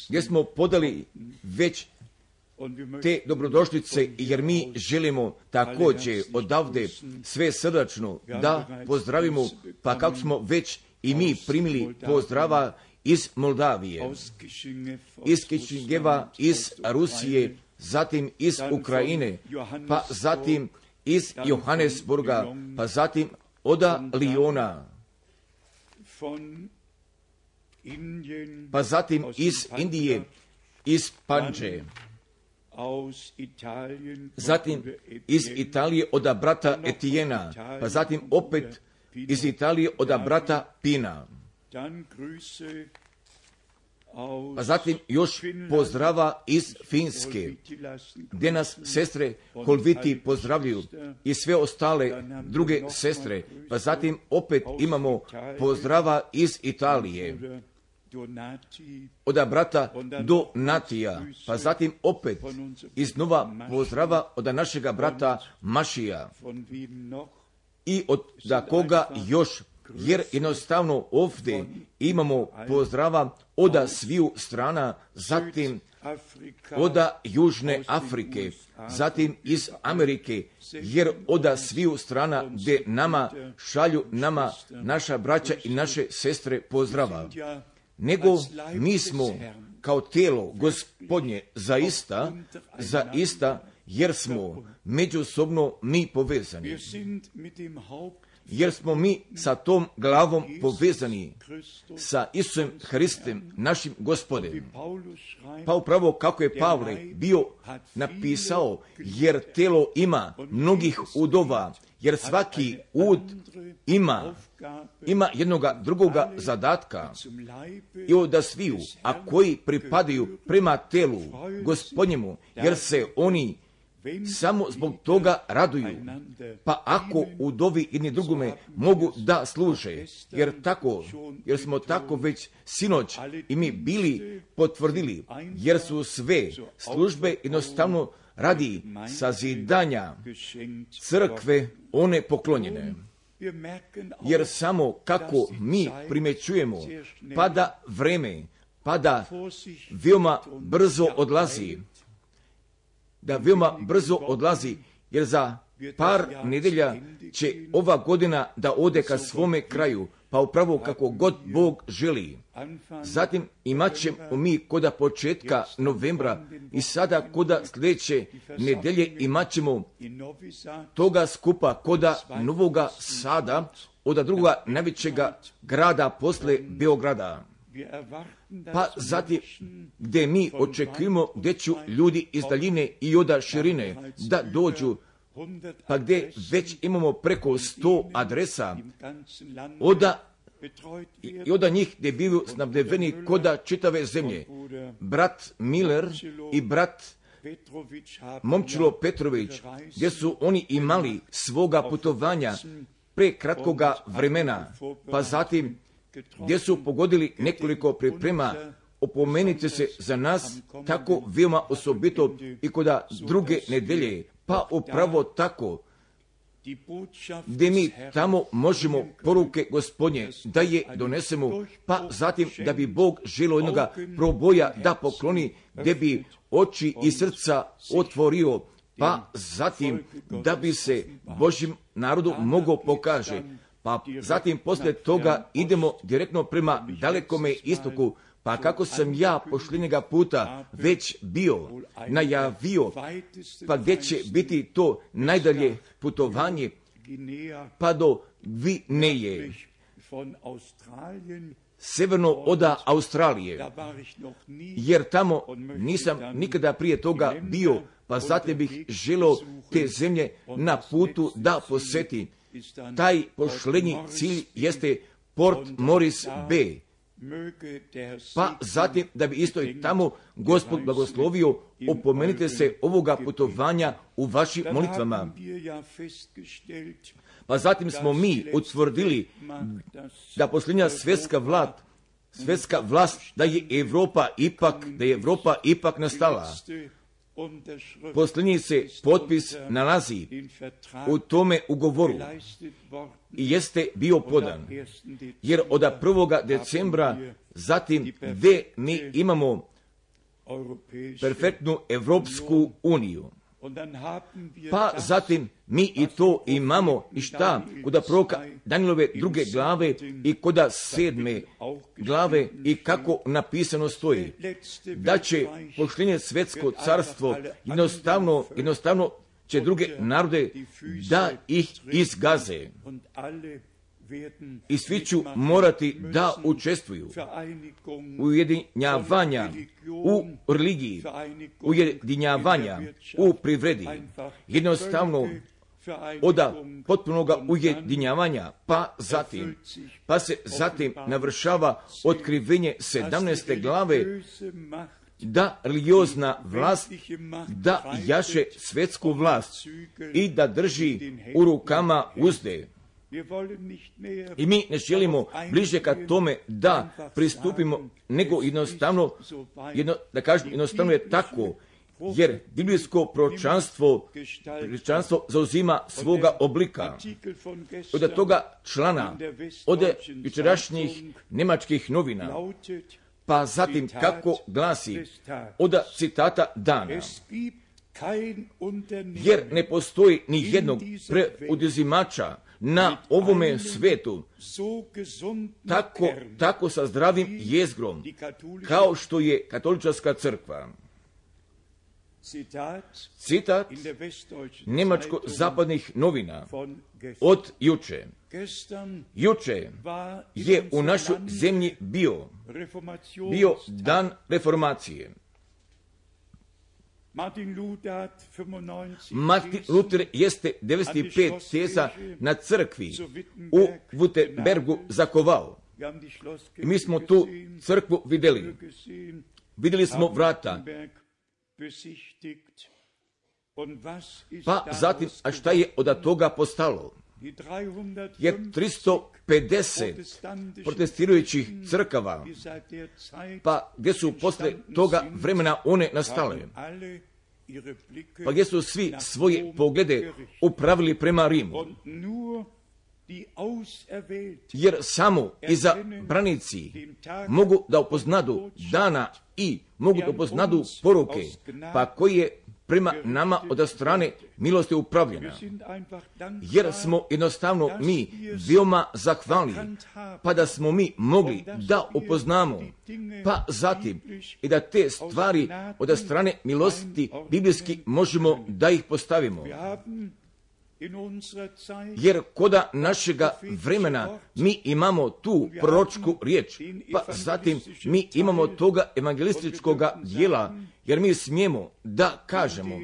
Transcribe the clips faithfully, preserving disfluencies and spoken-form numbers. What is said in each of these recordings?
gdje smo podali već te dobrodošlice, jer mi želimo također odavde sve srdačno da pozdravimo, pa kako smo već i mi primili pozdrava iz Moldavije, iz Kišingeva, iz Rusije, zatim iz Ukrajine, pa zatim iz Johannesburga, pa zatim oda Liona, pa zatim iz Indije, iz Panđe, zatim iz Italije oda brata Etijena, pa zatim opet iz Italije oda brata Pina, pa zatim još pozdrava iz Finske, gdje nas sestre Kolviti pozdravljaju i sve ostale druge sestre, pa zatim opet imamo pozdrava iz Italije, oda brata Donatija, pa zatim opet iznova pozdrava od našega brata Mašija i od da koga još, jer jednostavno ovdje imamo pozdrava oda sviju strana, zatim oda Južne Afrike, zatim iz Amerike, jer oda sviju strana gdje nama šalju nama naša braća i naše sestre pozdrava. Nego mi smo kao tijelo Gospodnje zaista, zaista, jer smo međusobno mi povezani. Jer smo mi sa tom glavom povezani sa Isusom Hristem, našim Gospodem. Pa upravo kako je Pavle bio napisao, jer telo ima mnogih udova, jer svaki ud ima, ima jednoga drugoga zadatka i od sviju, a koji pripadaju prema telu Gospodnjemu, jer se oni samo zbog toga raduju. Pa ako udovi jedni drugome mogu da služe, jer tako, jer smo tako već sinoć i mi bili potvrdili, jer su sve službe jednostavno radi sazidanja crkve one poklonjene. Jer samo kako mi primjećujemo, pada vreme, pada veoma brzo odlazi, da veoma brzo odlazi, jer za par nedelja će ova godina da ode ka svome kraju, pa upravo kako god Bog želi. Zatim imat ćemo mi koda početka novembra i sada koda sljedeće nedelje imat ćemo toga skupa koda Novoga Sada, od drugoga najvećega grada posle Beograda. Pa zatim gdje mi očekujemo gdje će ljudi iz daljine i od širine da dođu, pa gdje već imamo preko sto adresa oda i od njih gdje bivaju snabdeveni koda čitave zemlje. Brat Miller i brat Momčilo Petrović, gdje su oni imali svoga putovanja pre kratkoga vremena, pa zatim gdje su pogodili nekoliko priprema, opomenite se za nas tako veoma osobito i koda druge nedelje, pa upravo tako, gdje mi tamo možemo poruke Gospodnje da je donesemo, pa zatim da bi Bog želio jednoga proboja da pokloni, gdje bi oči i srca otvorio, pa zatim da bi se Božjem narodu mogao pokaže. Pa zatim poslije toga idemo direktno prema dalekome istoku, pa kako sam ja pošljenjega puta već bio najavio, pa gdje će biti to najdalje putovanje, pa do Gvineje, severno oda Australije, jer tamo nisam nikada prije toga bio, pa zatim bih želio te zemlje na putu da posjeti. Taj pošlenji cilj jeste Port Morris Bay, pa zatim da bi isto i tamo Gospod blagoslovio, opomenite se ovoga putovanja u vašim molitvama. Pa zatim smo mi utvrdili da posljednja svjetska vlast, svjetska vlast, da je Evropa ipak, da je Evropa ipak nastala. posljednji se potpis nalazi u tome ugovoru i jeste bio podan, jer od prvoga decembra zatim gdje mi imamo perfektnu Evropsku uniju. Pa zatim mi i to imamo i šta kod proroka Danielove druge glave i kod sedme glave i kako napisano stoji da će posljednje svetsko carstvo jednostavno, jednostavno će druge narode da ih izgaze i svi ću morati da učestvuju u ujedinjavanja u religiji, ujedinjavanja u privredi, jednostavno od potpunog ujedinjavanja, pa zatim, pa se zatim navršava otkrivenje sedamnaeste glave da religiozna vlast da jaše svetsku vlast i da drži u rukama uzde. I mi ne želimo bliže ka tome da pristupimo, nego jednostavno, jedno, da kažem, jednostavno je tako, jer biblijsko proročanstvo, proročanstvo zauzima svoga oblika. Od toga člana, od jučerašnjih nemačkih novina, pa zatim kako glasi, od citata dana. Jer ne postoji ni jednog preuzimača na ovome svetu tako, tako sa zdravim jezgrom kao što je katolička crkva. Citat nemačko-zapadnih novina od juče. Juče je u našoj zemlji bio, bio dan reformacije. Martin Luther jeste devedeset pet teza na crkvi u Wittenbergu zakovao. I mi smo tu crkvu vidjeli. Vidjeli smo vrata. Pa zatim, a šta je od toga postalo? Jer tristo pedeset protestirajućih crkava, pa gdje su posle toga vremena one nastale, pa gdje su svi svoje poglede upravili prema Rimu. Jer samo izabranici mogu da upoznadu dana i mogu da upoznadu poruke, pa koji je prema nama od strane milosti upravljena. Jer smo jednostavno mi veoma zahvalni, pa da smo mi mogli da upoznamo, pa zatim i da te stvari od strane milosti biblijski možemo da ih postavimo. Jer koda našega vremena mi imamo tu proročku riječ, pa zatim mi imamo toga evangelističkog dijela, jer mi smijemo da kažemo.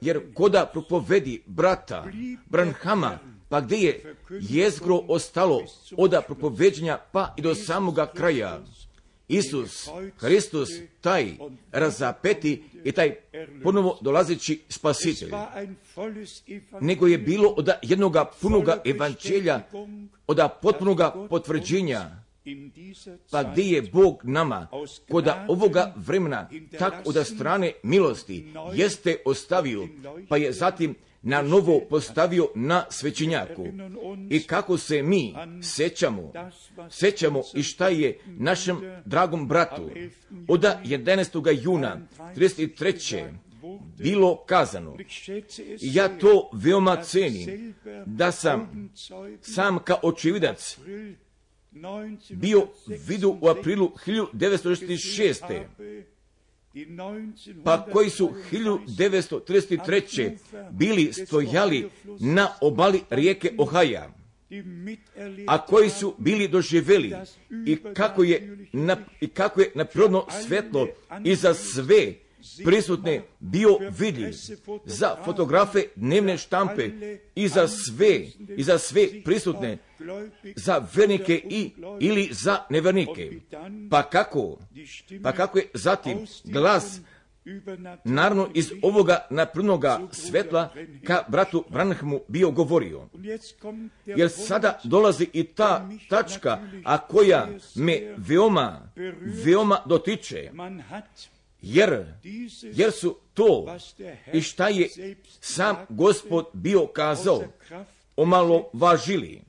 Jer koda propovedi brata Branhama, pa gdje je jezgro ostalo od propoveđenja pa i do samoga kraja, Isus Hristos, taj razapeti i taj ponovo dolazeći spasitelj, nego je bilo od jednoga punoga evanđelja, od potpunoga potvrđenja, pa gdje je Bog nama kod ovoga vremena tak od strane milosti jeste ostavio, pa je zatim na novo postavio na svećenjaku. I kako se mi sećamo, sećamo i šta je našem dragom bratu od jedanaestog juna trideset treće bilo kazano. I ja to veoma cenim, da sam sam kao očevidac bio vidu u aprilu hiljadu devetsto šezdeset šeste. Pa koji su hiljadu devetsto trideset treće bili stojali na obali rijeke Ohaja, a koji su bili doživjeli i kako je na, i kako je na prirodno svetlo i za sve prisutne bio vidljiv, za fotografe dnevne štampe i za sve, i za sve prisutne, za vernike i ili za nevernike. Pa kako? Pa kako je zatim glas naravno iz ovoga naprednoga svetla ka bratu Branhamu bio govorio. Jer sada dolazi i ta tačka, a koja me veoma, veoma dotiče. jer, jer su to i šta je sam Gospod bio kazao omalovažili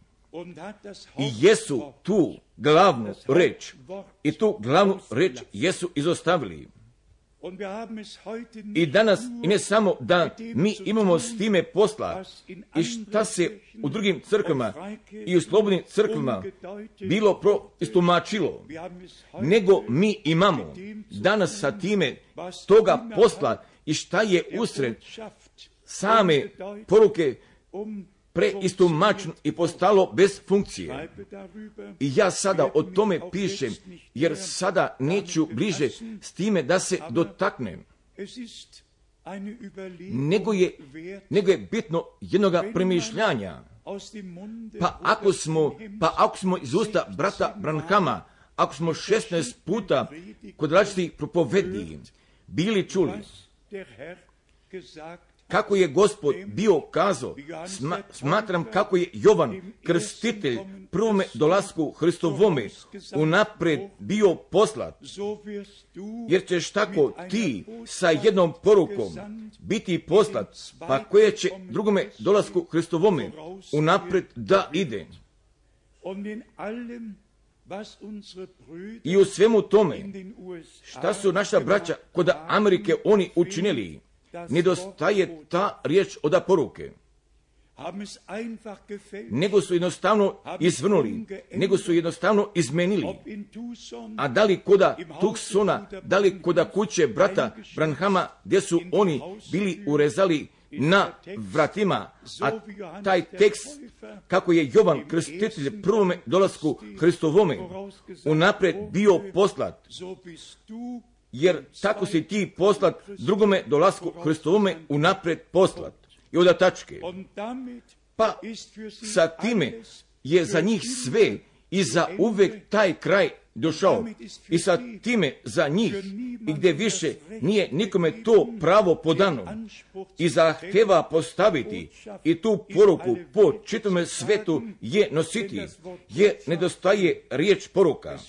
i jesu tu glavnu reč i tu glavnu reč jesu izostavili. I danas, i ne samo da mi imamo s time posla i šta se u drugim crkvama i u slobodnim crkvama bilo proistumačilo, nego mi imamo danas sa time toga posla i šta je usred same poruke preistumačeno i postalo bez funkcije. I ja sada o tome pišem, jer sada neću bliže s time da se dotaknem. Nego je, nego je bitno jednoga premišljanja. Pa ako smo, pa ako smo iz usta brata Branhama, ako smo šesnaest puta kod različitih propovediji bili čuli kako je Gospod bio kazao, sma, smatram kako je Jovan Krstitelj prvome dolasku Hristovome unaprijed bio poslat, jer ćeš tako ti sa jednom porukom biti poslat, pa koje će drugome dolasku Hristovome unaprijed da ide. I u svemu tome, šta su naša braća kod Amerike oni učinili, nedostaje ta riječ od poruke. Nego su jednostavno izvrnuli, nego su jednostavno izmenili. A da li koda Tucsona, da li koda kuće brata Branhama, gdje su oni bili urezali na vratima, a taj tekst, kako je Jovan Krstitelj prvome dolasku Hristovome unaprijed bio poslat, jer tako si ti poslat drugome dolasku Hristovome unaprijed poslat. I od tačke. Pa sa time je za njih sve i za uvek taj kraj došao. I sa time za njih i gdje više nije nikome to pravo podano i zahteva postaviti i tu poruku po čitome svetu je nositi, jer nedostaje riječ poruka.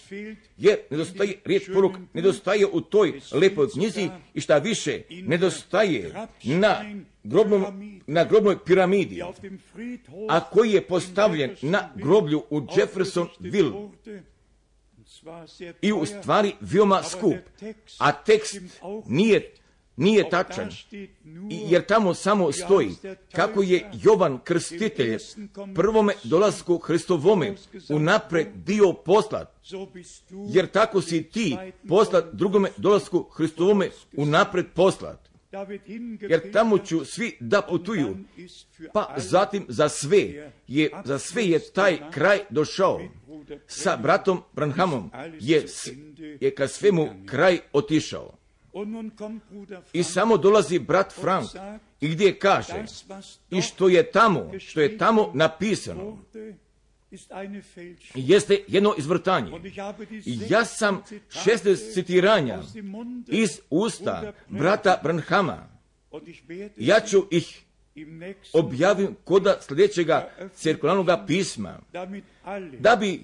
Jer nedostaje riječ poruka, nedostaje u toj lepoj knjizi i šta više nedostaje na grobnom, na grobnoj piramidi, a koji je postavljen na groblju u Jeffersonville. I u stvari veoma skup, a tekst nije, nije tačan, jer tamo samo stoji kako je Jovan Krstitelj prvome dolasku Hristovome unaprijed bio poslat, jer tako si ti poslat drugome dolasku Hristovome unaprijed poslat. Jer tamo ću svi da putuju, pa zatim za sve je, za sve je taj kraj došao. Sa bratom Branhamom je, je ka svemu kraj otišao. I samo dolazi brat Frank i gdje kaže, i što je tamo, što je tamo napisano, jeste jedno izvrtanje. I ja sam šesnaest citiranja iz usta brata Branhama, ja ću ih objavim koda sljedećega cirkularnog pisma, da bi,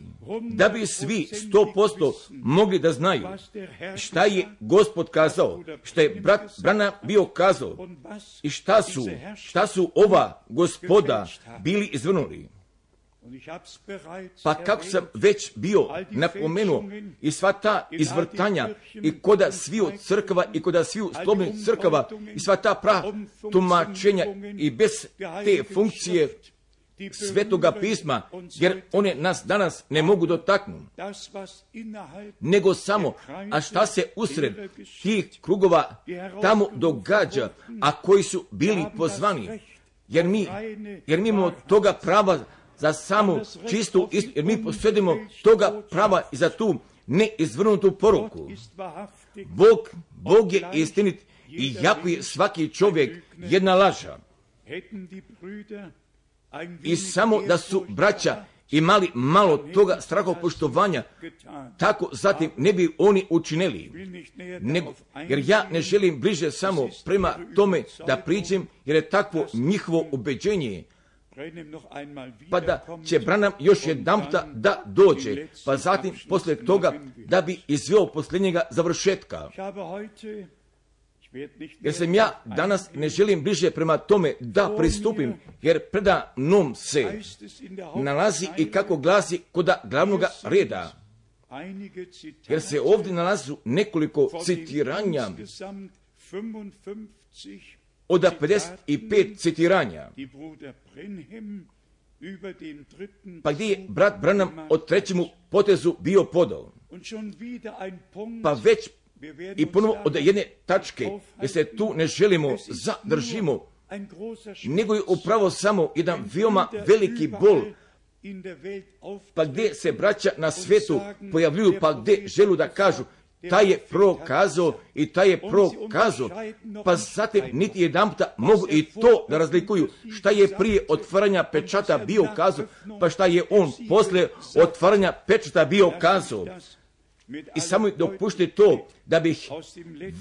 da bi svi sto posto mogli da znaju šta je Gospod kazao, šta je brat Branham bio kazao i šta su, šta su ova gospoda bili izvrnuli. Pa kako sam već bio napomenuo i sva ta izvrtanja i koda sviju crkava i koda sviju slobodnih crkava i sva ta prava tumačenja i bez te funkcije Svetoga pisma, jer one nas danas ne mogu dotaknuti, nego samo, a šta se usred tih krugova tamo događa, a koji su bili pozvani, jer mi, jer mi imamo toga prava za samu čistu istinu, jer mi posjedimo toga prava i za tu neizvrnutu poruku. Bog, Bog je istinit i jako je svaki čovjek jedna laža. I samo da su braća imali malo toga strahopoštovanja, tako zatim ne bi oni učinili. Nego, jer ja ne želim bliže samo prema tome da priđem, jer je takvo njihovo ubeđenje. pa da će Branham još jedanputa da dođe, pa zatim poslije toga da bi izveo posljednjega završetka. Jer sam ja danas ne želim bliže prema tome da pristupim, jer preda mnom se nalazi i kako glasi kod glavnog reda. Jer se ovdje nalazu nekoliko citiranja od pedeset pet citiranja, pa gdje je brat Branham od trećemu potezu bio podao. Pa već i ponovo od jedne tačke, jer se tu ne želimo zadržimo, nego je upravo samo jedan veoma veliki bol, pa gdje se braća na svijetu pojavljuju, pa gdje želu da kažu taj je prokazao i taj je prokazao, pa zatim niti jedan puta mogu i to da razlikuju šta je prije otvaranja pečata bio kazao, pa šta je on poslije otvaranja pečata bio kazao. I samo dopušte to da bih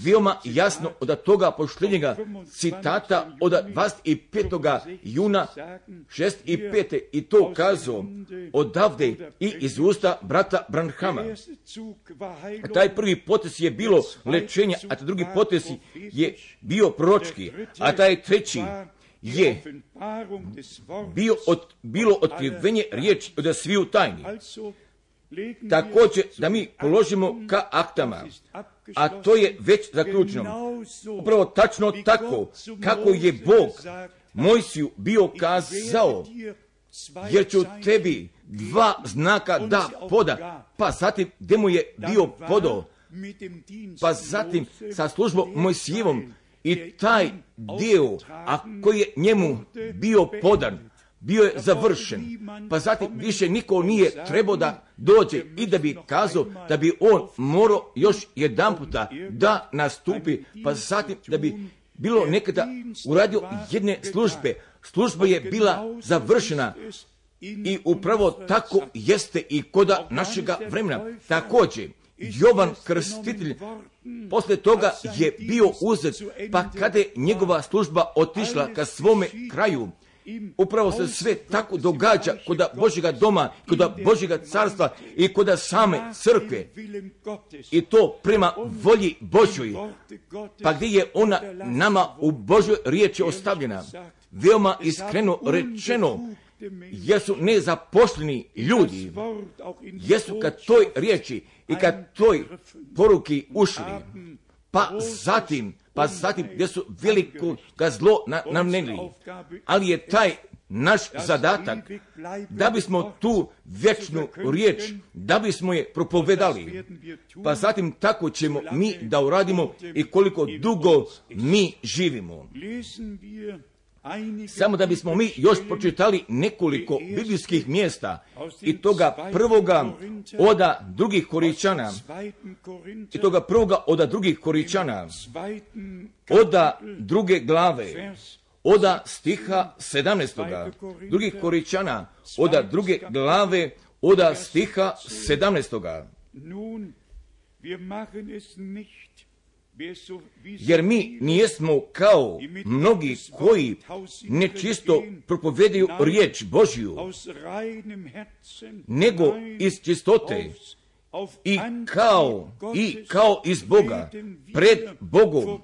veoma jasno od toga pošljenjega citata od dvadeset petog juna šezdeset pete i to kazao odavde i iz usta brata Branhama. Taj prvi potez je bilo lečenje, a taj drugi potez je bio proročki, a taj treći je bio od, bilo otkrivenje riječi od sviju tajni. Također da mi položimo ka aktama, a to je već zaključeno. Upravo tačno tako kako je Bog Mojsiju bio kazao, jer ću tebi dva znaka da poda, pa zatim gdje mu je bio podao, pa zatim sa službom Mojsijevom i taj dio, a koji je njemu bio podan, bio je završen, pa zatim više niko nije trebao da dođe i da bi kazao da bi on morao još jedan puta da nastupi, pa zatim da bi bilo nekada uradio jedne službe. Služba je bila završena i upravo tako jeste i koda našega vremena. Također, Jovan Krstitelj posle toga je bio uzet, pa kada je njegova služba otišla ka svome kraju, upravo se sve tako događa kod Božjega doma, kod Božjega carstva i kod same crkve. I to prema volji Božjoj, pa gdje je ona nama u Božjoj riječi ostavljena. Veoma iskreno rečeno, jesu nezaposleni ljudi, jesu kad toj riječi i kad toj poruki ušli, pa zatim, pa zatim gdje su veliko ga zlo namneli, ali je taj naš zadatak da bismo tu vječnu riječ, da bismo je propovedali, pa zatim tako ćemo mi da uradimo i koliko dugo mi živimo. Samo da bismo mi još pročitali nekoliko biblijskih mjesta i toga prvoga oda drugih Korinčana, i toga prvoga oda drugih Korinčana, oda druge glave, oda stiha sedamnaestoga, drugih Korinčana, oda druge glave, oda stiha sedamnaestoga. Jer mi nijesmo kao mnogi koji nečisto propovedaju riječ Božju, nego iz čistote i kao, i kao iz Boga, pred Bogom,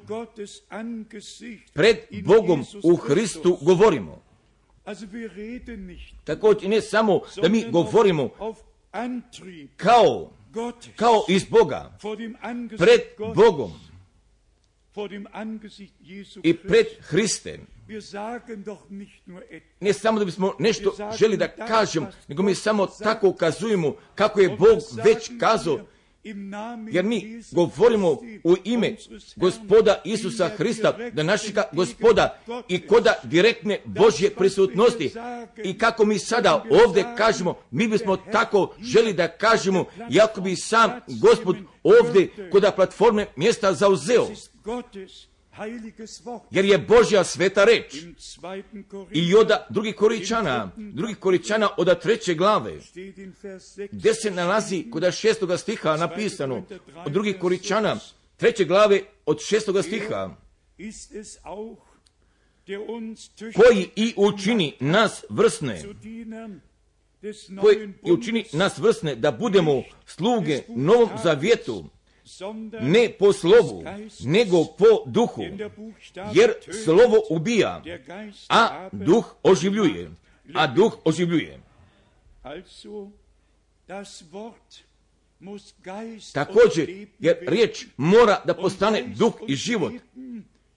pred Bogom u Hristu govorimo. Također ne samo da mi govorimo kao, kao iz Boga, pred Bogom i pred Hristem. Ne samo da bismo nešto želi da kažem, nego mi samo tako ukazujemo kako je Bog već kazao, jer mi govorimo u ime Gospoda Isusa Hrista, da našega Gospoda i koda direktne Božje prisutnosti. I kako mi sada ovdje kažemo, mi bismo tako želi da kažemo, jako bi sam Gospod ovdje koda platforme mjesta zauzeo. Jer je Božja sveta reč. I od drugih Korinčana, drugih Korinčana od treće glave, gdje se nalazi kod šestoga stiha napisano, od drugih Korinčana, treće glave od šestoga stiha. koji i učini nas vrsne, koji i učini nas vrsne da budemo sluge Novom Zavjetu, ne po slovu, nego po duhu, jer slovo ubija, a duh oživljuje, a duh oživljuje. Također, jer riječ mora da postane duh i život,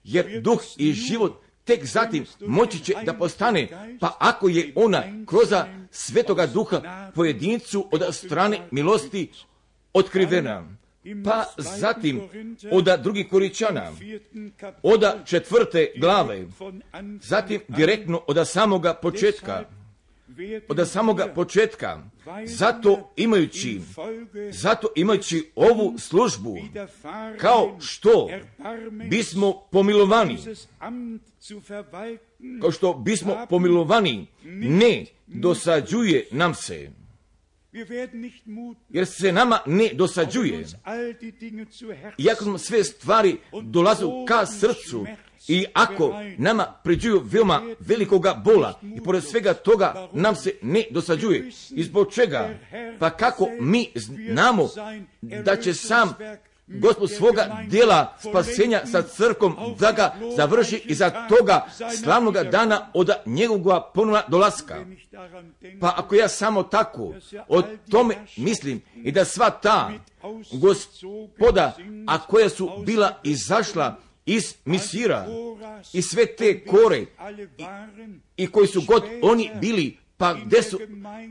jer duh i život tek zatim moći će da postane, pa ako je ona kroz Svetoga Duha pojedincu od strane milosti otkrivena, pa zatim od drugih Korinčana, od četvrte glave, zatim direktno od samoga početka, od samoga početka, zato imajući, zato imajući ovu službu, kao što bismo pomilovani, kao što bismo pomilovani, ne dosađuje nam se, jer se nama ne dosađuje, iako nam sve stvari dolazu ka srcu, i ako nama pređuju veoma velikoga bola i pored svega toga nam se ne dosađuje. I zbog čega? Pa kako mi znamo da će sam Gospod svoga djela spasenja sa crkom da ga završi i za toga slavnoga dana od njegovog ponovna dolaska. Pa ako ja samo tako o tome mislim i da sva ta gospoda, a koja su bila izašla iz Misira i sve te kore i, i koji su god oni bili, pa gdje su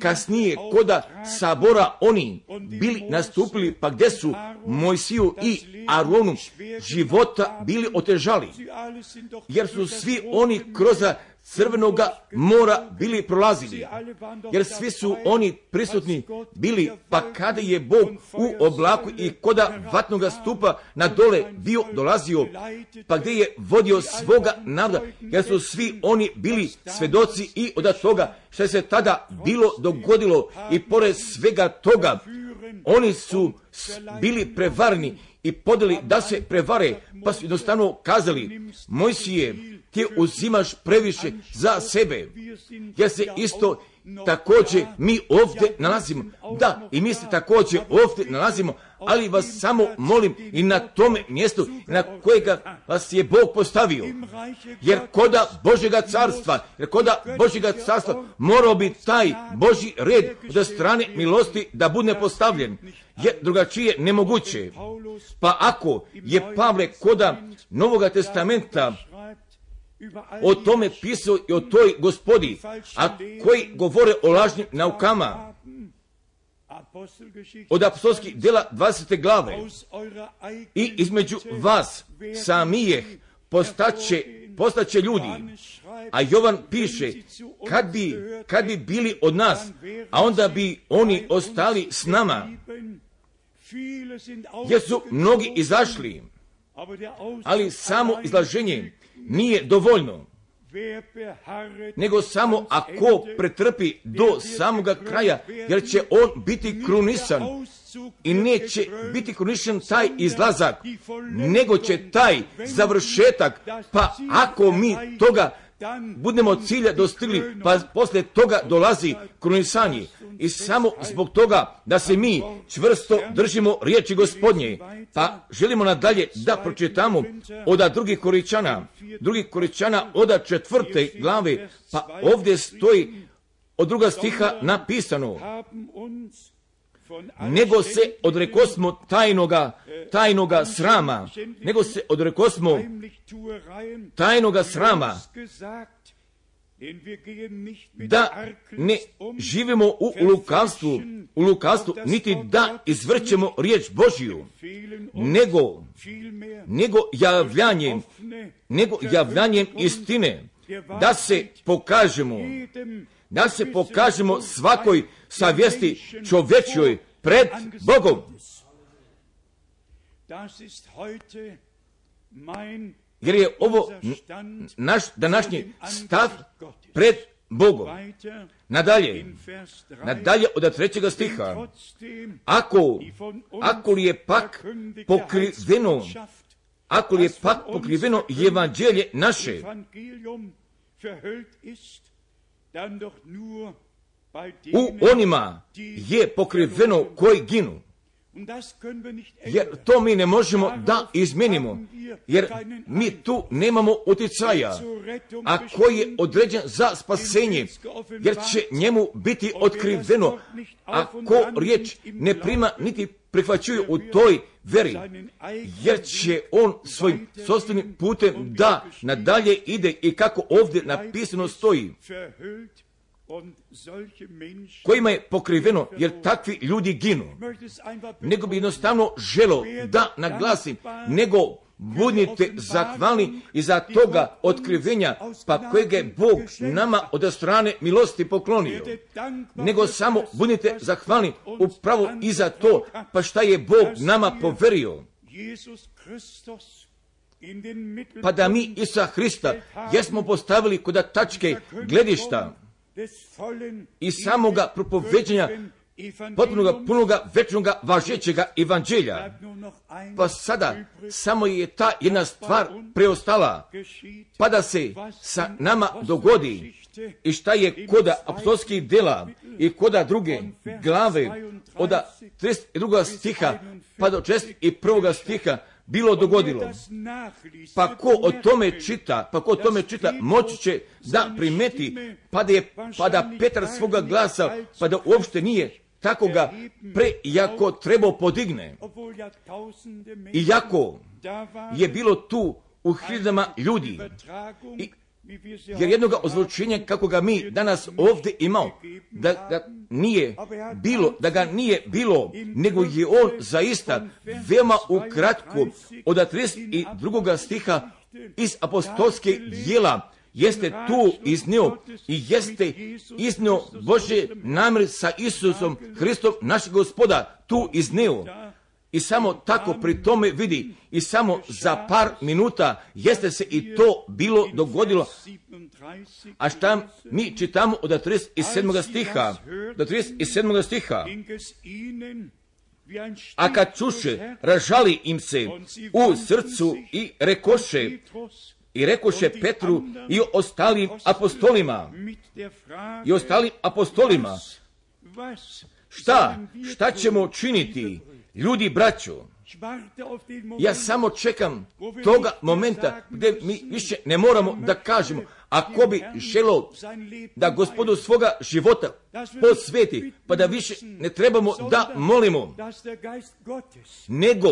kasnije koda sabora oni bili nastupili, pa gdje su Mojsiju i Aronu života bili otežali, jer su svi oni kroz Crvenoga mora bili prolazili, jer svi su oni prisutni bili, pa kada je Bog u oblaku i koda vatnoga stupa na dole bio dolazio, pa gdje je vodio svoga naroda, jer su svi oni bili svedoci i od toga što se tada bilo dogodilo, i pored svega toga oni su bili prevarni i podeli da se prevare, pa su jednostavno kazali: Mojsije, ti uzimaš previše za sebe, jer se isto također mi ovdje nalazimo. Da, i mi se također ovdje nalazimo, ali vas samo molim i na tome mjestu na kojega vas je Bog postavio. Jer koda Božjega carstva, jer koda Božjega carstva morao bi taj Božji red od strane milosti da bude postavljen, jer drugačije nemoguće. Pa ako je Pavle koda Novoga testamenta o tome pisao i o toj gospodi, a koji govore o lažnim naukama, od apostolskih djela dvadesete glave, i između vas samijeh postaće, postaće ljudi, a Jovan piše, kad bi, kad bi bili od nas, a onda bi oni ostali s nama, jer su mnogi izašli, ali samo izlaženje nije dovoljno, nego samo ako pretrpi do samoga kraja, jer će on biti krunisan, i neće biti krunisan taj izlazak, nego će taj završetak, pa ako mi toga budemo cilja dostigli, pa poslije toga dolazi krunisanje. I samo zbog toga da se mi čvrsto držimo riječi Gospodnje, pa želimo nadalje da pročitamo od drugih Korinčana, drugih Korinčana od četvrte glave, pa ovdje stoji od druga stiha napisano: nego se odrekosmo tajnoga, tajnoga srama, nego se odrekosmo tajnoga srama, da ne živimo u lukavstvu, u lukavstvu, niti da izvrćemo riječ Božju, nego, nego javljanjem, nego javljanjem istine, da se pokažemo, da se pokažemo svakoj savjesti čovječjoj pred Bogom. Jer je ovo naš današnji stav pred Bogom. Nadalje, nadalje od trećega stiha, ako, ako li je pak pokriveno ako li je pak pokriveno evanđelje naše, u onima je pokriveno koji ginu. Jer to mi ne možemo da izmenimo, jer mi tu nemamo utjecaja, a koji je određen za spasenje, jer će njemu biti otkriveno, a ko riječ ne prima niti prihvaćuju u toj veri, jer će on svojim sopstvenim putem da nadalje ide i kako ovdje napisano stoji, kojima je pokriveno, jer takvi ljudi ginu. Nego bi jednostavno želo da naglasim, nego budite zahvalni iza toga otkrivenja, pa kojeg je Bog nama od strane milosti poklonio. Nego samo budite zahvalni upravo iza to, pa šta je Bog nama poverio. Pa da mi Isusa Hrista jesmo postavili kod tačke gledišta i samoga propoveđenja potpunoga, punoga, večnoga, važećega evanđelja. Pa sada samo je ta jedna stvar preostala, pa da se sa nama dogodi i šta je koda apostolskih dela i koda druge glave od trideset drugog stiha pa do četrdeset prvog stiha bilo dogodilo. Pa ko o tome čita, pa ko o tome čita, moći će da primeti, pa da, je, pa da Petar svoga glasa, pa da uopšte nije tako ga prejako trebao podigne. Iako je bilo tu u hiljadama ljudi, i, jer jednoga ozvučenja kako ga mi danas ovdje imao, da, da nije bilo, da ga nije bilo, nego je on zaista veoma ukratko od trideset drugog stiha iz apostolske djela jeste tu iznio i jeste iznio Božje namjer sa Isusom Hristom, našeg Gospoda, tu iznio. I samo tako pri tome vidi, i samo za par minuta jeste se i to bilo dogodilo. A šta mi čitamo od trideset sedmog stiha, do trideset sedmog stiha? A kad čuše, ražali im se u srcu i rekoše, i rekoše Petru i ostalim apostolima, i ostalim apostolima, šta, šta ćemo činiti, ljudi braćo? Ja samo čekam toga momenta gdje mi više ne moramo da kažemo, ako bi želio da Gospodu svoga života posveti, pa da više ne trebamo da molimo, nego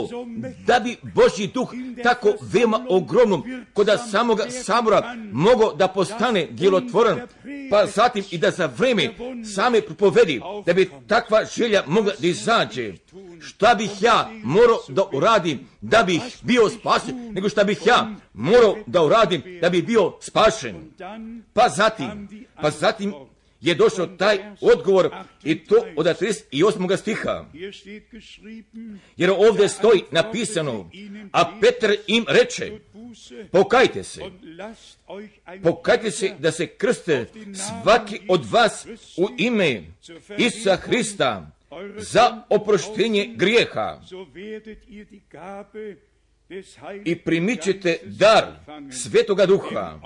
da bi Božji duh tako veoma ogromnom kod samoga sabora mogao da postane djelotvoran, pa zatim i da za vreme same propovedi, da bi takva želja mogla da izađe. Šta bih ja morao da uradim da bih bio spašen, nego šta bih ja morao da uradim da bih bio spašen. Pa zatim, pa zatim je došao taj odgovor i to od trideset osmog stiha. Jer ovdje stoji napisano, a Petar im reče, pokajte se, pokajte se da se krste svaki od vas u ime Isusa Hrista za oproštenje grijeha i primit ćete dar Svetoga Duha,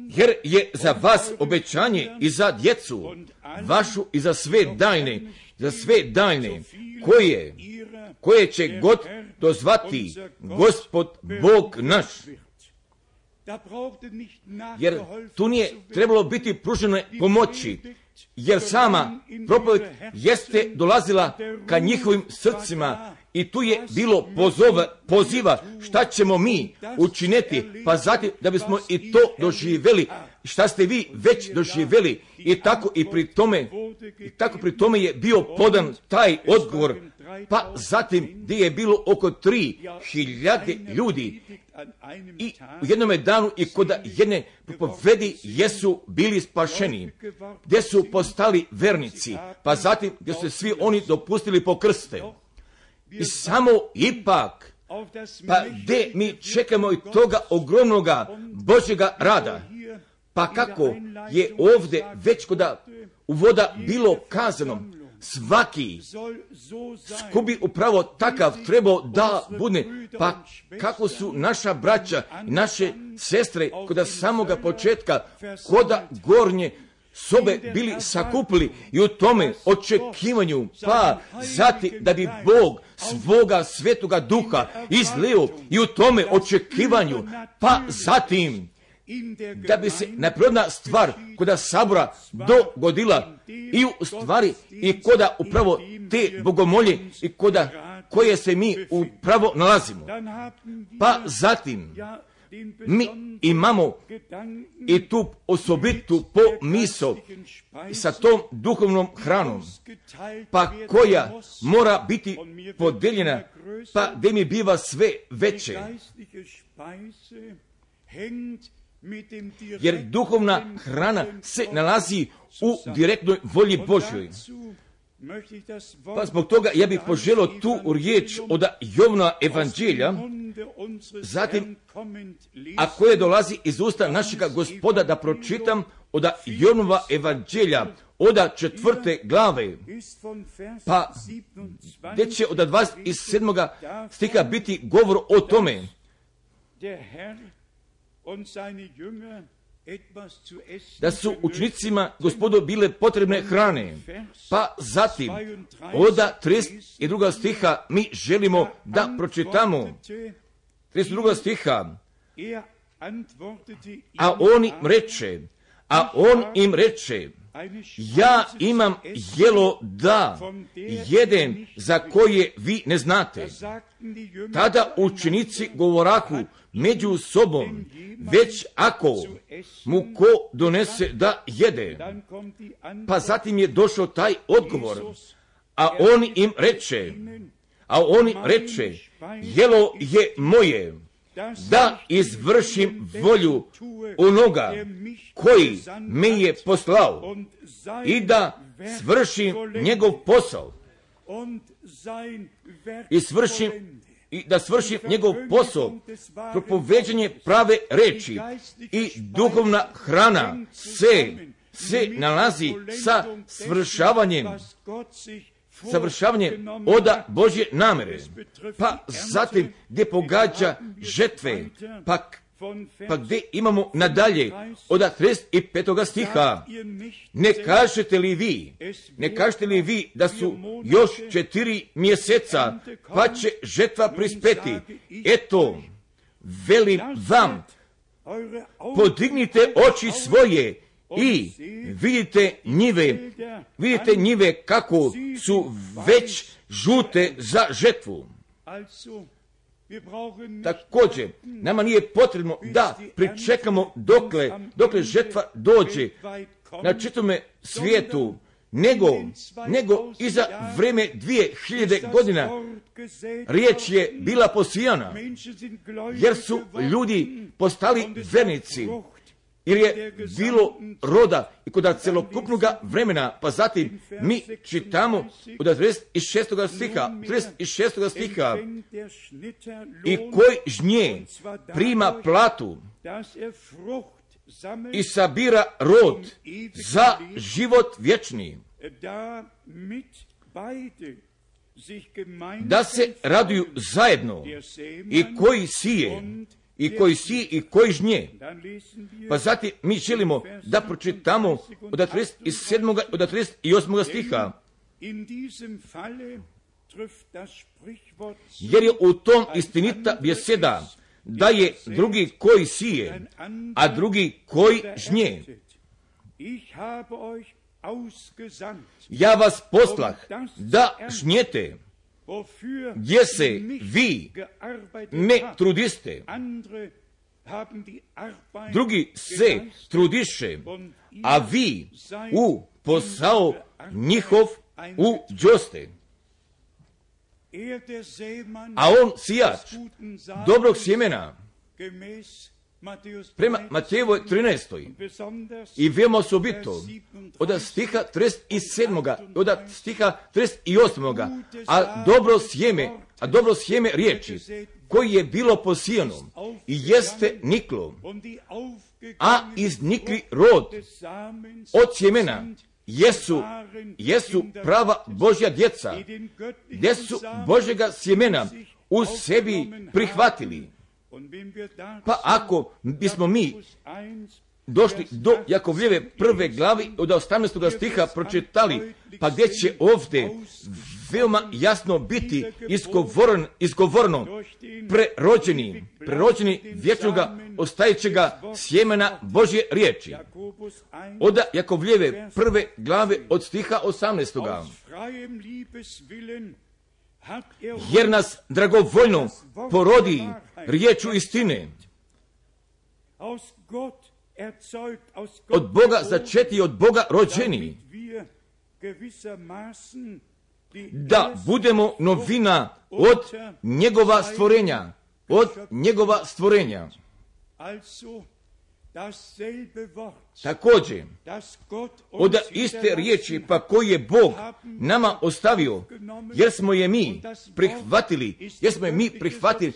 jer je za vas obećanje i za djecu vašu i za sve daljne, za sve daljne, koje, koje će god dozvati Gospod Bog naš. Jer tu nije trebalo biti pružene pomoći, jer sama propoved jeste dolazila ka njihovim srcima i tu je bilo pozove, poziva šta ćemo mi učiniti, pa zatim da bismo i to doživjeli, šta ste vi već doživjeli, i tako i pri tome, i tako pri tome je bio podan taj odgovor, pa zatim gdje je bilo oko tri hiljade ljudi i u jednome danu i kod jedne propovedi jesu bili spašeni, gdje su postali vernici, pa zatim gdje su svi oni dopustili po krste. I samo ipak, pa gdje mi čekamo i toga ogromnoga Božjega rada, pa kako je ovdje već kod uvoda bilo kazano, svaki ko bi upravo takav trebao da bude, pa kako su naša braća i naše sestre kod samoga početka koda gornje sobe bili sakupili i u tome očekivanju, pa zati da bi Bog svoga svetoga duha izlio i u tome očekivanju, pa zatim da bi se neprirodna stvar koda sabora dogodila i u stvari i koda upravo te bogomolje i koda koje se mi upravo nalazimo. Pa zatim mi imamo i tu osobitu pomisao sa tom duhovnom hranom, pa koja mora biti podeljena, pa gdje mi biva sve veće. Jer duhovna hrana se nalazi u direktnoj volji Božjoj. Pa zbog toga ja bih poželio tu riječ od Jovnova evanđelja, zatim, a koje dolazi iz usta našega Gospoda, da pročitam od Jovnova evanđelja, od četvrte glave, pa gdje će od dvadeset sedmoga stiha biti govor o tome da su učenicima Gospodu bile potrebne hrane. Pa zatim, od trideset drugog stiha mi želimo da pročitamo. trideset drugog stiha. A on im reče, a on im reče, ja imam jelo da jedem za koje vi ne znate. Tada učenici govorahu među sobom, već ako mu ko donese da jede. Pa zatim je došao taj odgovor, a on im reče, a on im reče, jelo je moje, da izvršim volju onoga koji me je poslao i da svršim njegov posao i svršim i da svršim njegov posao, propoveđanje prave reči i duhovna hrana se, se nalazi sa svršavanjem, savršavanjem oda Božje namere. Pa zatim gdje pogađa žetve, pa, pa gdje imamo nadalje od trideset petog stiha. Ne kažete li vi, ne kažete li vi da su još četiri mjeseca, pa će žetva prispeti? Eto, velim vam, podignite oči svoje i vidite njive, vidite njive kako su već žute za žetvu. Također, nama nije potrebno da pričekamo dokle, dokle žetva dođe na čitome svijetu, nego, nego iza vreme dvije hiljade godina riječ je bila posijana, jer su ljudi postali vernici, jer je bilo roda i kod celokupnog vremena. Pa zatim mi čitamo od trideset šestog stiha, trideset šestog stiha, i koji žnje prima platu i sabira rod za život vječni, da se raduju zajedno i koji sije i koji sije i koji žnje. Pa zatim mi želimo da pročitamo od trideset sedmog od trideset osmog stiha, jer je u tom istinita beseda, da je drugi koji sije, a drugi koji žnje. Ja vas poslah da žnjete, gdje se vi ne trudiste, drugi se trudiše, a vi u posao njihov uđoste. A on sijač dobrog sjemena, prema Matejevoj trinaestoj, i veoma osobito od stiha trideset sedmog od stiha trideset osmog, a dobro sjeme, a dobro sjeme riječi koji je bilo posijano i jeste niklo, a iznikli rod od sjemena jesu, jesu prava Božja djeca, gdje su Božjega sjemena u sebi prihvatili. Pa ako bismo mi došli do Jakovljeve prve glavi od osamnaestog stiha pročitali, pa gdje će ovdje veoma jasno biti izgovoren, izgovorno prerođeni, prerođeni vječnoga ostajećega sjemena Božje riječi. Od Jakovljeve prve glave od stiha osamnaestog. Jer nas dragovoljno porodi riječu istine, od Boga začeti i od Boga rođeni, da budemo novina od njegova stvorenja, od njegova stvorenja. Također, od iste riječi pa koji je Bog nama ostavio, jer smo je mi prihvatili, jer smo je mi prihvatili,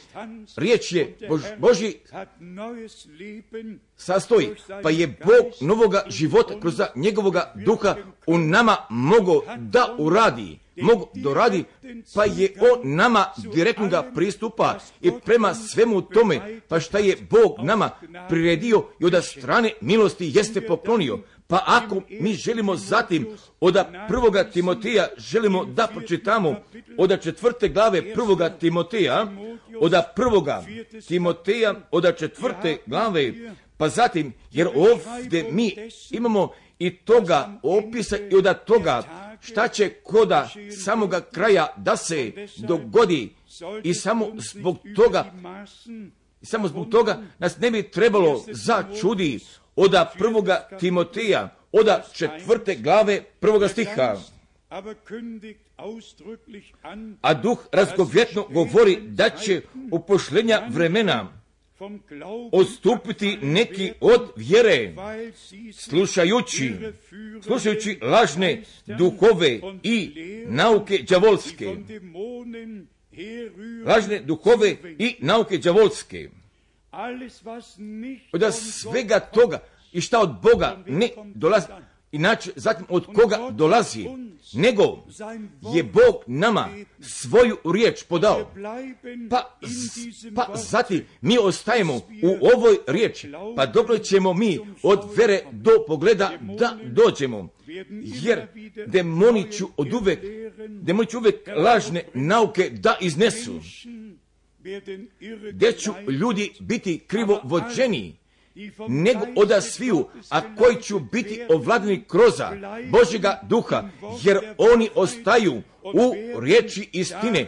riječ je Bož, Božji sastoji, pa je Bog novoga života kroz njegovoga duha u nama mogo da uradi, mogu doradi, pa je on nama direktno ga pristupa i prema svemu tome, pa šta je Bog nama priredio i od strane milosti jeste poklonio. Pa ako mi želimo zatim od prvoga Timoteja, želimo da pročitamo od četvrte glave prvoga Timoteja, od prvoga Timoteja, od četvrte glave, pa zatim, jer ovdje mi imamo i toga opisa i od toga šta će koda samoga kraja da se dogodi i samo zbog toga, i samo zbog toga nas ne bi trebalo začudi od prvoga Timoteja, od četvrte glave prvoga stiha. A duh razgovjetno govori da će u pošljenja vremena odstupiti neki od vjere, slušajući, slušajući lažne duhove i nauke đavolske. Lažne duhove i nauke đavolske. Od svega toga i šta od Boga ne dolazi, inače zatim od koga dolazi, nego je Bog nama svoju riječ podao. Pa, pa zatim mi ostajemo u ovoj riječi, pa dok ćemo mi od vere do pogleda da dođemo. Jer demoni ću od uvek, demoni ću uvek lažne nauke da iznesu, gdje ću ljudi biti krivo vođeni, nego oda sviju, a koji ću biti ovladani kroza Božjega duha, jer oni ostaju u riječi istine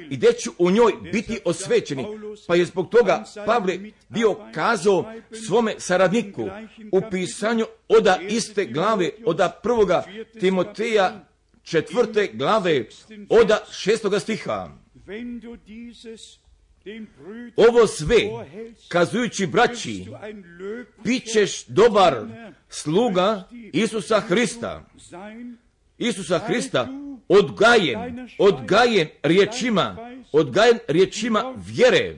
i gdje ću u njoj biti osvećeni. Pa je zbog toga Pavle bio kazao svome saradniku u pisanju oda iste glave, oda prvoga Timoteja četvrte glave, oda šestoga stiha. Ovo sve, kazujući braći, bićeš dobar sluga Isusa Hrista. Isusa Hrista odgajen, odgajen riječima, odgajen riječima vjere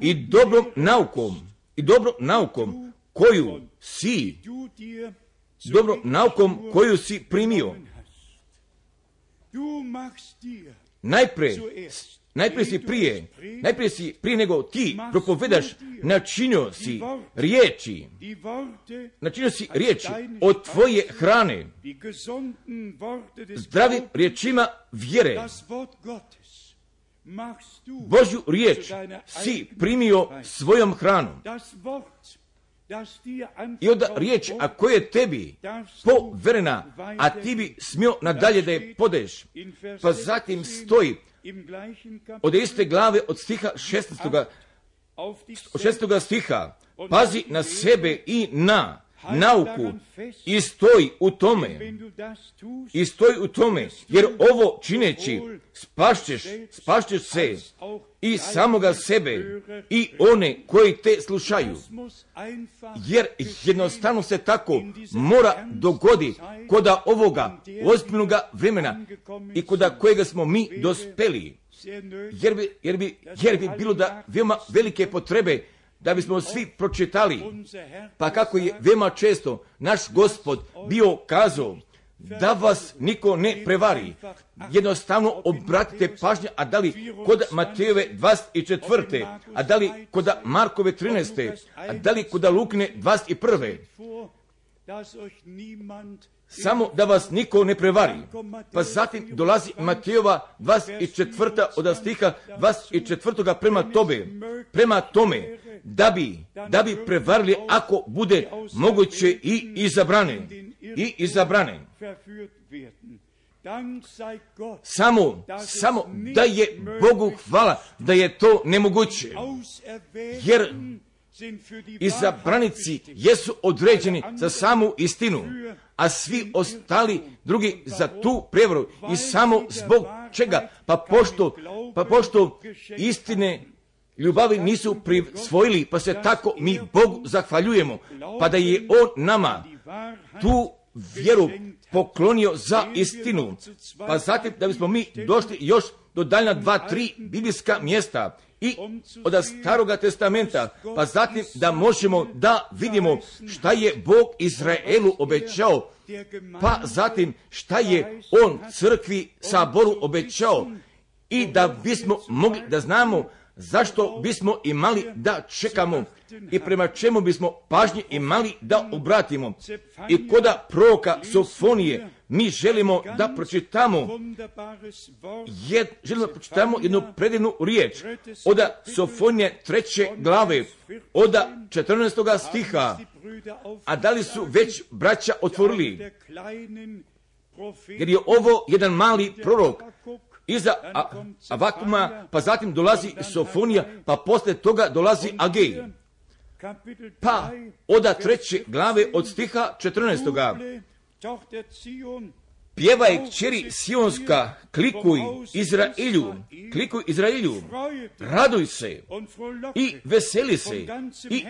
i dobrom naukom, i dobrom naukom koju si, dobrom naukom koju si primio. Najprije, najprije si prije, najprije si prije nego ti propovedaš, načinio si riječi, načinio si riječi od tvoje hrane, zdravim riječima vjere. Božju riječ si primio svojom hranom. I onda riječ, a koja je tebi poverena, a ti bi smio nadalje da je podeš. Pa zatim stoji od iste glave od stiha šesnaestoga, od šesnaestoga stiha, pazi na sebe i na nauku i stoji u tome, i stoji u tome, jer ovo čineći spašćeš, spašćeš se i samoga sebe i one koji te slušaju, jer jednostavno se tako mora dogodi koda ovoga ozbiljnoga vremena i koda kojega smo mi dospeli, jer bi, jer bi, jer bi bilo da veoma velike potrebe da bismo svi pročitali, pa kako je veoma često naš Gospod bio kazao, da vas niko ne prevari. Jednostavno obratite pažnju, a da li kod Matejove dvadeset četvrte, a da li kod Markove trinaeste, a da li kod Lukine dvadeset prve. Samo da vas niko ne prevari. Pa zatim dolazi Matejova dvadeset četvrta od stiha dvadeset četvrtoga prema tobe, prema tome, da bi, da bi prevarili ako bude moguće i izabrane. I izabrane. Samo, samo da je Bogu hvala da je to nemoguće. Jer izabranici jesu određeni za samu istinu, a svi ostali drugi za tu prevaru. I samo zbog čega? Pa pošto, pa pošto istine ljubavi nisu prisvojili, pa se tako mi Bogu zahvaljujemo, pa da je On nama tu vjeru poklonio za istinu. Pa zatim da bismo mi došli još do daljna dva, tri biblijska mjesta i od Staroga testamenta, pa zatim da možemo da vidimo šta je Bog Izraelu obećao, pa zatim šta je On crkvi, saboru obećao, i da bismo mogli da znamo zašto bismo imali da čekamo i prema čemu bismo pažnje imali da obratimo. I koda proroka Sofonije mi želimo da pročitamo, jed, želimo da pročitamo jednu predivnu riječ od Sofonije treće glave, od četrnaestoga stiha. A da li su već braća otvorili? Jer je ovo jedan mali prorok. Iza Avakuma, pa zatim dolazi Sofonija, pa posle toga dolazi Agej. Pa oda treće glave od stiha četrnaestoga. Pjevaj kćeri Sionska, klikuj Izraelju, klikuj Izraelju, raduj se i veseli se i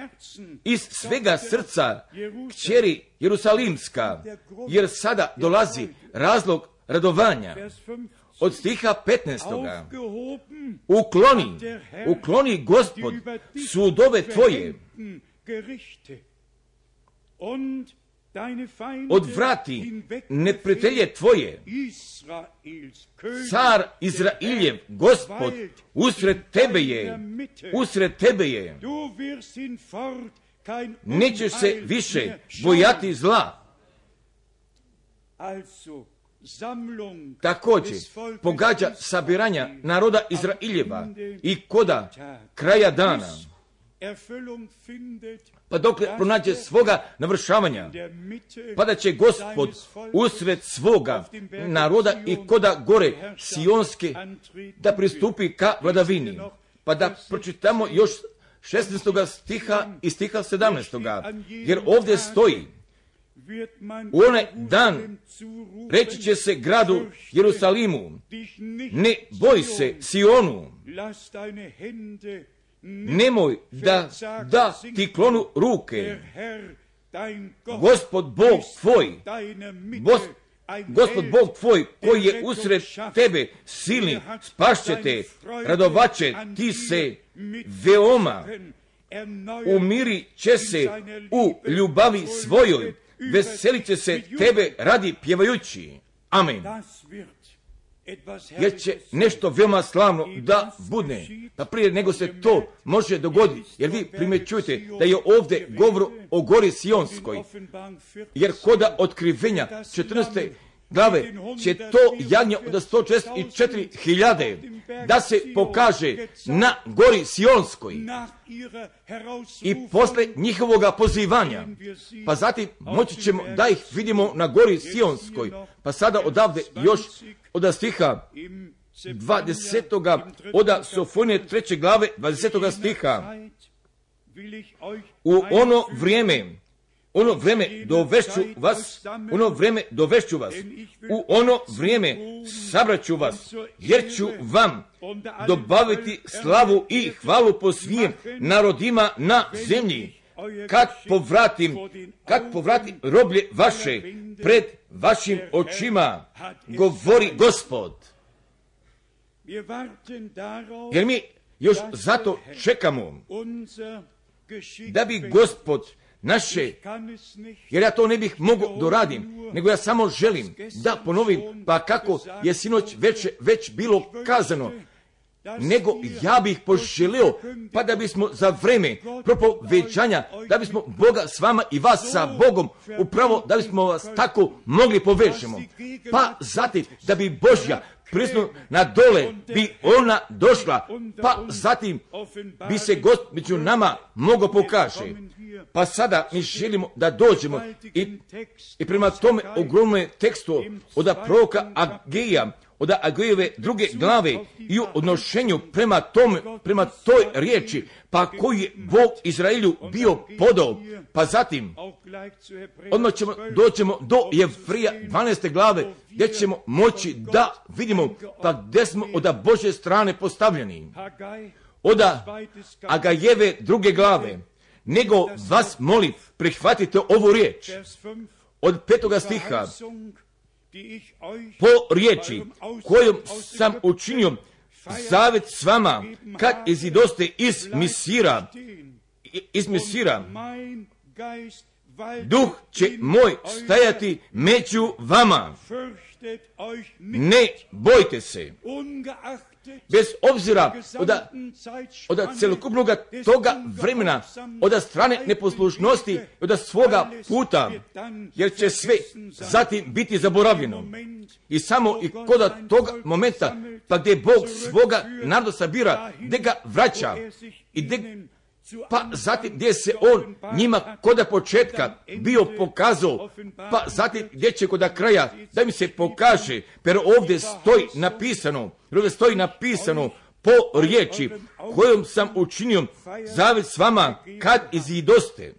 iz svega srca kćeri Jerusalimska, jer sada dolazi razlog radovanja. Od stiha petnaestoga. Ukloni, ukloni Gospod sudove tvoje, odvrati neprijatelje tvoje. Car Izraeljev, Gospod, usred tebe je, usred tebe je. Nećeš se više bojati zla. Također pogađa sabiranja naroda Izraeljeva i koda kraja dana, pa dok pronađe svoga navršavanja, pa da će Gospod usred svoga naroda i koda gore Sionske da pristupi ka vladavini. Pa da pročitamo još šesnaestoga stiha i stiha sedamnaestoga, jer ovdje stoji: u onaj dan reći će se gradu Jerusalimu, ne boj se Sionu, nemoj da, da ti klonu ruke, Gospod Bog tvoj, Bos, Gospod Bog tvoj koji je usred tebe silni, spašće te, radovaće ti se veoma, umiri će se u ljubavi svojoj, veselit će se tebe radi pjevajući. Amen. Jer će nešto veoma slavno da bude. Pa prije nego se to može dogoditi, jer vi primjećujete da je ovdje govor o gori Sionskoj, jer koda otkrivenja četrnaeste glave će to jagnje od sto četrdeset četiri hiljade da se pokaže na gori Sionskoj i posle njihovoga pozivanja, pa zatim moći ćemo da ih vidimo na gori Sionskoj. Pa sada odavde još od stiha dvadesetoga od Sofonije treće glave dvadesetoga stiha. U ono vrijeme ono vrijeme dovešću vas, ono vrijeme dovešću vas, u ono vrijeme sabraću vas, jer ću vam dobaviti slavu i hvalu po svim narodima na zemlji, kad povratim, kad povratim roblje vaše pred vašim očima, govori Gospod. Jer mi još zato čekamo da bi Gospod naše, jer ja to ne bih mogao doradim, nego ja samo želim da ponovim, pa kako je sinoć već, već bilo kazano, nego ja bih poželio, pa da bismo za vreme propoveđanja, da bismo Boga s vama i vas sa Bogom, upravo da bismo vas tako mogli povežemo. Pa zatim da bi Božja prisutnost na dole bi ona došla, pa zatim bi se Gospod među nama mogao pokaže. Pa sada mi želimo da dođemo i, i prema tome ogromnom tekstu od proroka Agija, od Agijeve druge glave i u odnošenju prema tome, prema toj riječi, pa koji je Bog Izraelju bio podao. Pa zatim, odmah ćemo, doćemo do Jevrija dvanaeste glave, gdje ćemo moći da vidimo pa gdje smo od Božje strane postavljeni. Od Agajeve druge glave, nego vas molim, prihvatite ovu riječ od petoga stiha, po riječi kojom sam učinio zavjet s vama kad izidoste iz Misira, iz Misira, duh će moj stajati među vama. Ne bojte se. Bez obzira od, od celokupnog toga vremena, od strane neposlušnosti, od svoga puta, jer će sve zatim biti zaboravljeno. I samo i kod toga momenta, pa gdje Bog svoga naroda sabira, gdje ga vraća i gdje, pa zatim gdje se on njima koda početka bio pokazao, pa zatim gdje će koda kraja da mi se pokaže, jer ovdje stoji napisano, ovdje stoji napisano po riječi kojom sam učinio zavjet s vama kad izidoste.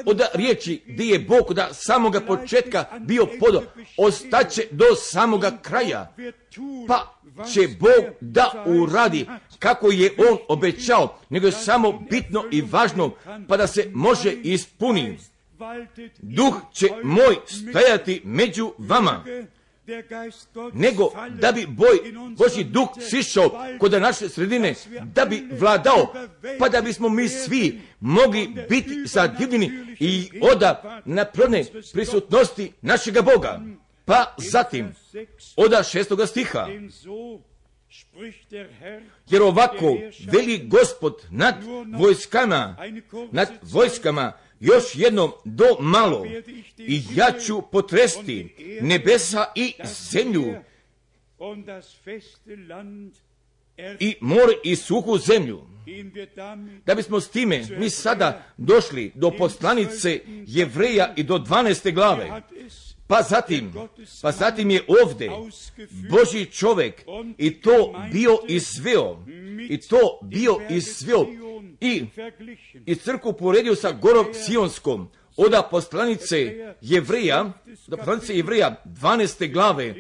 Od riječi gdje je Bog da samoga početka bio podao, ostaće do samoga kraja, pa će Bog da uradi kako je on obećao, nego je samo bitno i važno, pa da se može ispuni. Duh će moj stajati među vama, nego da bi boj, Božji duh sišao kod naše sredine, da bi vladao, pa da bismo mi svi mogli biti zadivljeni i oda naprone prisutnosti našega Boga. Pa zatim, oda šestoga stiha, jer ovako veli Gospod nad vojskama, nad vojskama, još jednom do malo, i ja ću potresti nebesa i zemlju i more i suhu zemlju. Da bismo s time mi sada došli do poslanice Jevreja i do dvanaeste glave. Pa zatim, pa zatim je ovdje Božji čovjek i to bio izveo, i to bio izveo i, i crkvu poredio sa gorom Sionskom, od poslanice Jevreja, od poslanice Jevreja dvanaeste glave,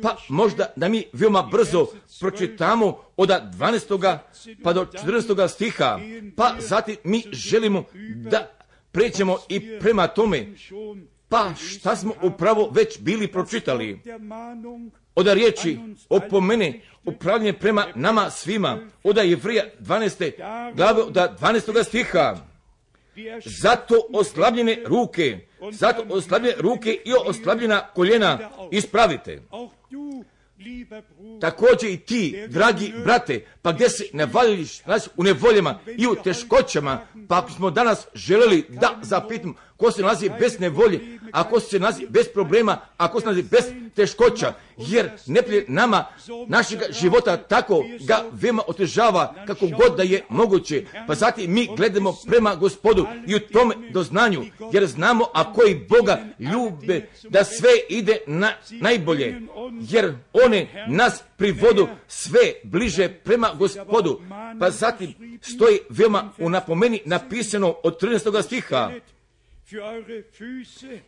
pa možda da mi veoma brzo pročitamo od dvanaestoga pa do četrnaestoga stiha, pa zatim mi želimo da pređemo i prema tome, pa šta smo upravo već bili pročitali. Od riječi opomene upravljanje prema nama svima, od Jevreja dvanaeste glave, od dvanaestoga stiha. Zato oslabljene ruke, zato oslabljene ruke i oslabljena koljena ispravite. Također i ti, dragi brate, pa gdje se navališ u nevoljama i u teškoćama, pa smo danas želeli da zapitamo ko se nalazi bez nevolje, a ko se nalazi bez problema, a ko se nalazi bez teškoća, jer neprijatelj nama, našega života tako ga veoma otežava kako god da je moguće. Pa zatim mi gledamo prema Gospodu i u tome doznanju, jer znamo a koji Boga ljube da sve ide na najbolje, jer one nas privodu sve bliže prema Gospodu. Pa zatim stoji veoma u napomeni napisano od trinaestoga stiha.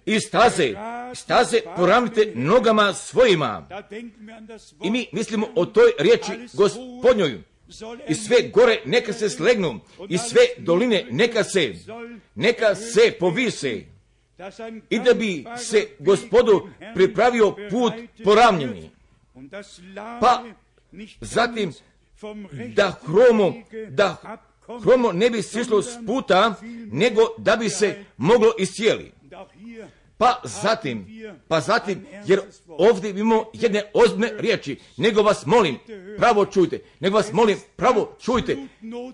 I staze, staze poravnite nogama svojima. I mi mislimo o toj riječi Gospodnjoj. I sve gore neka se slegnu, i sve doline neka se, neka se povise. I da bi se Gospodu pripravio put poravnjeni. Pa zatim da hromo, da hromo ne bi sišlo s puta, nego da bi se moglo iscijeli. Pa zatim, pa zatim, jer ovdje imamo jedne ozbiljne riječi, nego vas molim, pravo čujte, nego vas molim, pravo čujte,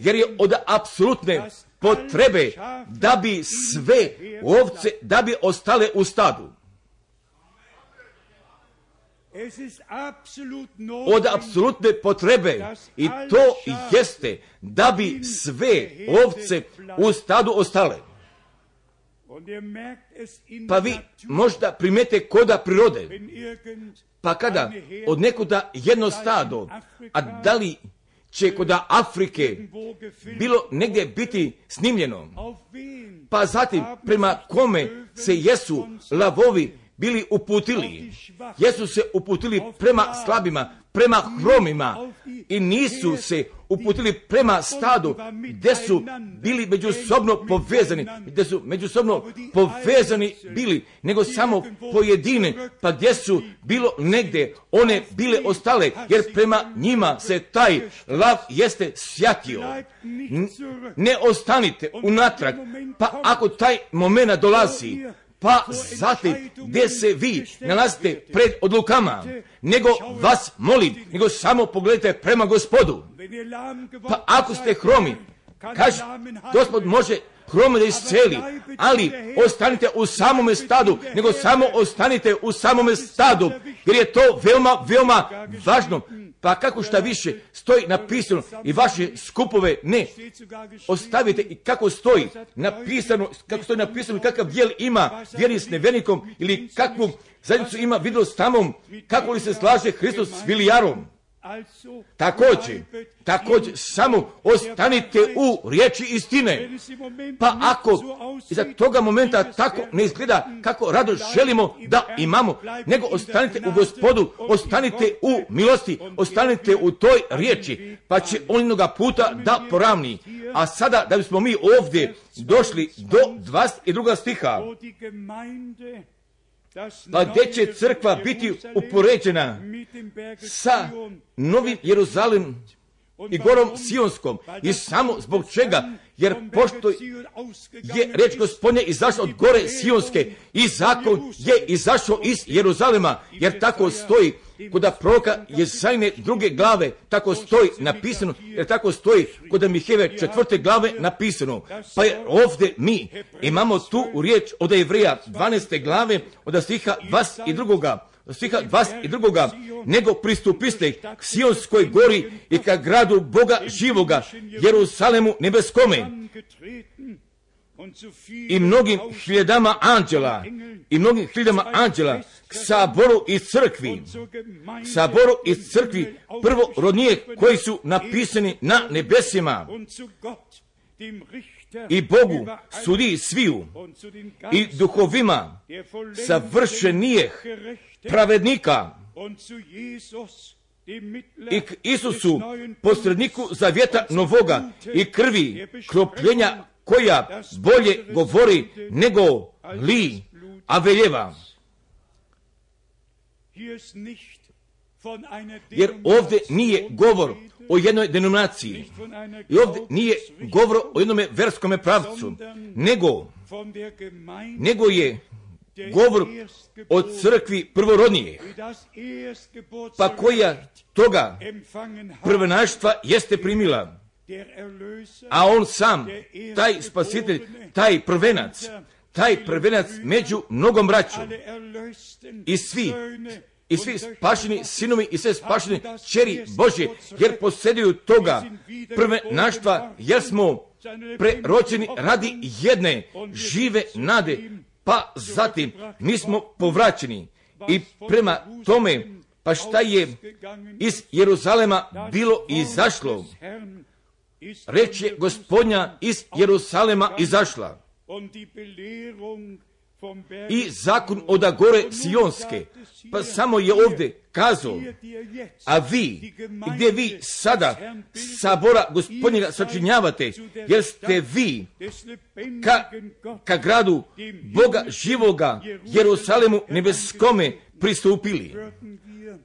jer je od apsolutne potrebe da bi sve ovce, da bi ostale u stadu. Od apsolutne potrebe, i to jeste da bi sve ovce u stadu ostale. Pa vi možda primete koda prirode, pa kada od nekuda jedno stado, a da li će koda Afrike bilo negdje biti snimljeno, pa zatim prema kome se jesu lavovi bili uputili, jesu se uputili prema slabima, prema hromima i nisu se uputili prema stadu gdje su bili međusobno povezani, gdje su međusobno povezani bili, nego samo pojedine, pa gdje su bilo negdje one bile ostale, jer prema njima se taj lav jeste sjatio. Ne ostanite unatrag, pa ako taj moment dolazi, pa zatim gdje se vi nalazite pred odlukama, nego vas molim, nego samo pogledajte prema Gospodu. Pa ako ste hromi, kaže, Gospod može hrome da isceli, ali ostanite u samome stadu, nego samo ostanite u samome stadu, jer je to veoma, veoma važno. Pa kako šta više stoji napisano i vaše skupove ne ostavite, i kako stoji napisano, kako stoji napisano, kakav dijel ima vjeri s nevjernikom ili kakvu zajednicu ima vidjelo s tamom, kako li se slaže Hristos s Vilijarom. Također, također, samo ostanite u riječi istine. Pa ako iza toga momenta tako ne izgleda kako rado želimo da imamo, nego ostanite u Gospodu, ostanite u milosti, ostanite u toj riječi, pa će on jednoga puta da poravni. A sada, da bismo mi ovdje došli do dvadeset drugog stiha, pa gdje će crkva biti upoređena sa Novim Jeruzalemom i gorom Sionskom, i samo zbog čega, jer pošto je reč Gospodnja izašla od gore Sionske i zakon je izašao iz Jeruzalema, jer tako stoji kod proroka Jezajine druge glave, tako stoji napisano, jer tako stoji kod Mihejeve četvrte glave napisano. Pa je ovdje mi imamo tu riječ od Jevreja dvanaeste glave, od stiha dvadeset drugoga stiha dvadeset drugoga nego pristupiste k Sionskoj gori i ka gradu Boga živoga, Jeruzalemu nebeskome, i mnogim hiljadama anđela, i mnogim hiljadama anđela, k saboru i crkvi, saboru i crkvi prvorodnije koji su napisani na nebesima, i Bogu sudi sviju, i duhovima savršenijeh pravednika, i k Isusu, posredniku zavjeta novoga, i krvi kropljenja koja bolje govori nego li Aveljeva. Jer ovdje nije govor o jednoj denominaciji, i ovdje nije govor o jednome verskome pravcu, nego, nego je govor o crkvi prvorodnije, pa koja toga prvenaštva jeste primila, a on sam, taj spasitelj, taj prvenac, taj prvenac među mnogom braćom, i svi, i svi spašeni sinovi i sve spašene čeri Božje, jer posjeduju toga prvenaštva, jer smo preročeni radi jedne žive nade, pa zatim mi smo povraćeni. I prema tome, pa šta je iz Jeruzalema bilo izašlo? Reč je Gospodnja iz Jeruzalema izašla. I zakon od gore Sionske, pa samo je ovdje kazao, a vi, gdje vi sada sabora Gospodnjega sačinjavate, jer ste vi ka, ka gradu Boga živoga, Jeruzalemu nebeskome pristupili.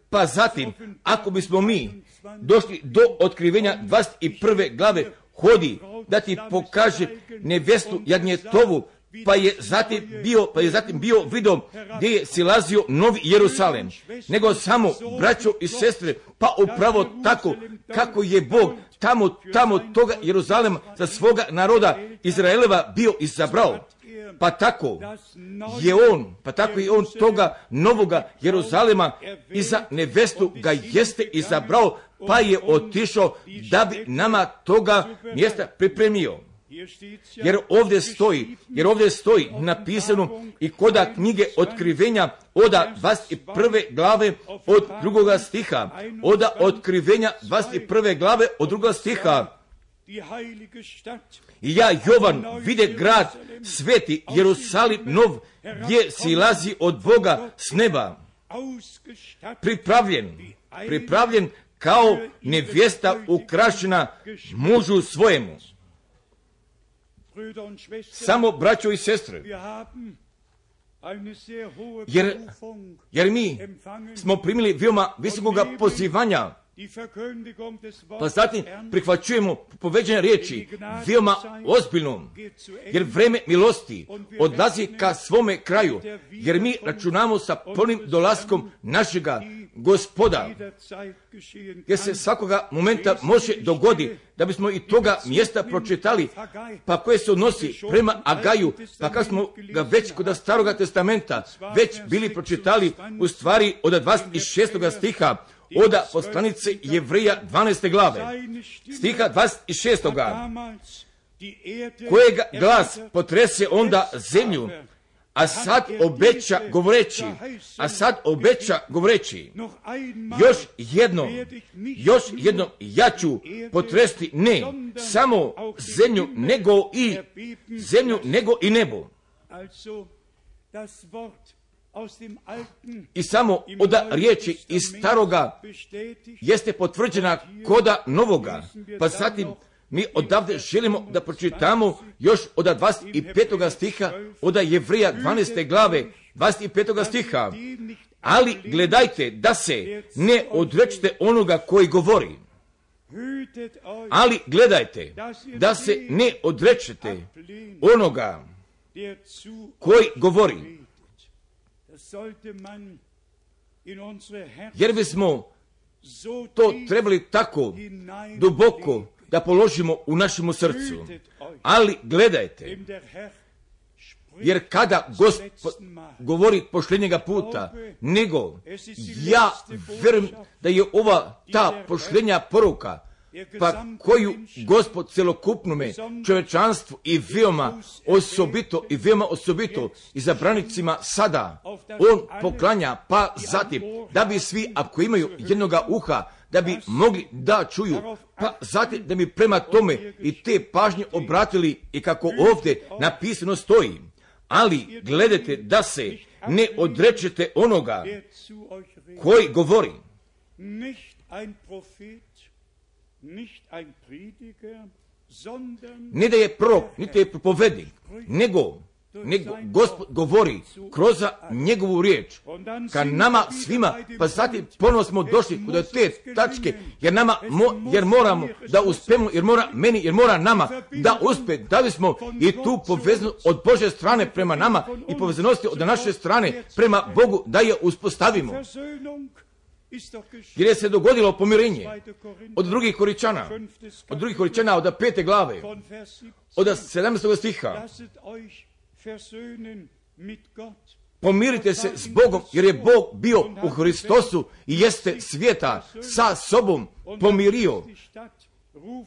Pa zatim, ako bismo mi došli do otkrivenja dvadeset prve glave, hodi da ti pokaže nevestu Jagnjetovu, pa je zatim bio, pa je zatim bio vidom gdje je silazio Novi Jerusalem, nego samo braćo i sestre, pa upravo tako kako je Bog tamo, tamo toga Jeruzalema za svoga naroda Izraeleva bio izabrao. Pa tako je on, pa tako je on toga novoga Jeruzalema i za nevestu ga jeste izabrao, pa je otišao da bi nama toga mjesta pripremio. Jer ovdje stoji, jer ovdje stoji napisano i koda knjige otkrivenja oda dvadeset prve glave od drugoga stiha, oda otkrivenja dvadeset prve glave od drugoga stiha. I ja, Jovan, vide grad sveti Jerusalim nov, gdje silazi od Boga s neba, pripravljen, pripravljen kao nevjesta ukrašena mužu svojemu. Samo, braćo i sestre, jer, jer mi smo primili veoma visokoga pozivanja, pa zatim prihvaćujemo povedene riječi veoma ozbiljno, jer vreme milosti odlazi ka svome kraju, jer mi računamo sa punim dolaskom našega Gospoda, jer se svakoga momenta može dogodi da bismo i toga mjesta pročitali, pa koje se odnosi prema Agaju, pa kako smo ga već kod Staroga testamenta već bili pročitali u stvari od dvadeset šestog stiha, oda poslanice Jevreja dvanaeste glave, stiha dvadeset šestog kojega glas potrese onda zemlju, a sad obeća govoreći, a sad obeća govoreći, još jedno, još jedno ja ću potresti ne samo zemlju, nego i zemlju, nego i nebo. I samo oda riječi iz staroga jeste potvrđena koda novoga, pa zatim mi odavde želimo da pročitamo još od dvadeset petog stiha, od Jevreja dvanaeste glave, dvadeset petog stiha. Ali gledajte da se ne odrečete onoga koji govori. Ali gledajte da se ne odrečete onoga koji govori. Jer bismo to trebali tako duboko da položimo u našemu srcu. Ali gledajte, jer kada Gospod govori pošljenjega puta, nego ja vjerujem da je ova ta pošljenja poruka, pa koju Gospod celokupnome čovečanstvu i veoma osobito i veoma osobito izabranicima sada on poklanja, pa zatim da bi svi, ako imaju jednoga uha, da bi mogli da čuju, pa zatim da bi prema tome i te pažnje obratili, i kako ovdje napisano stoji. Ali gledajte da se ne odrečete onoga koji govori. Ne da je prorok, niti je propovednik, nego, nego Gospod govori kroz njegovu riječ ka nama svima, pa zatim ponovno smo došli kod te tačke, jer nama, mo, jer moramo da uspemo, jer mora meni, jer mora nama da uspe, da bismo i tu povezanost od Božje strane prema nama i povezanosti od naše strane prema Bogu da je uspostavimo. Jer je se dogodilo pomirenje od drugih Koričana, od drugih Koričana, od pete glave, od sedamnaestog stiha. Pomirite se s Bogom, jer je Bog bio u Hristosu i jeste svijeta sa sobom pomirio.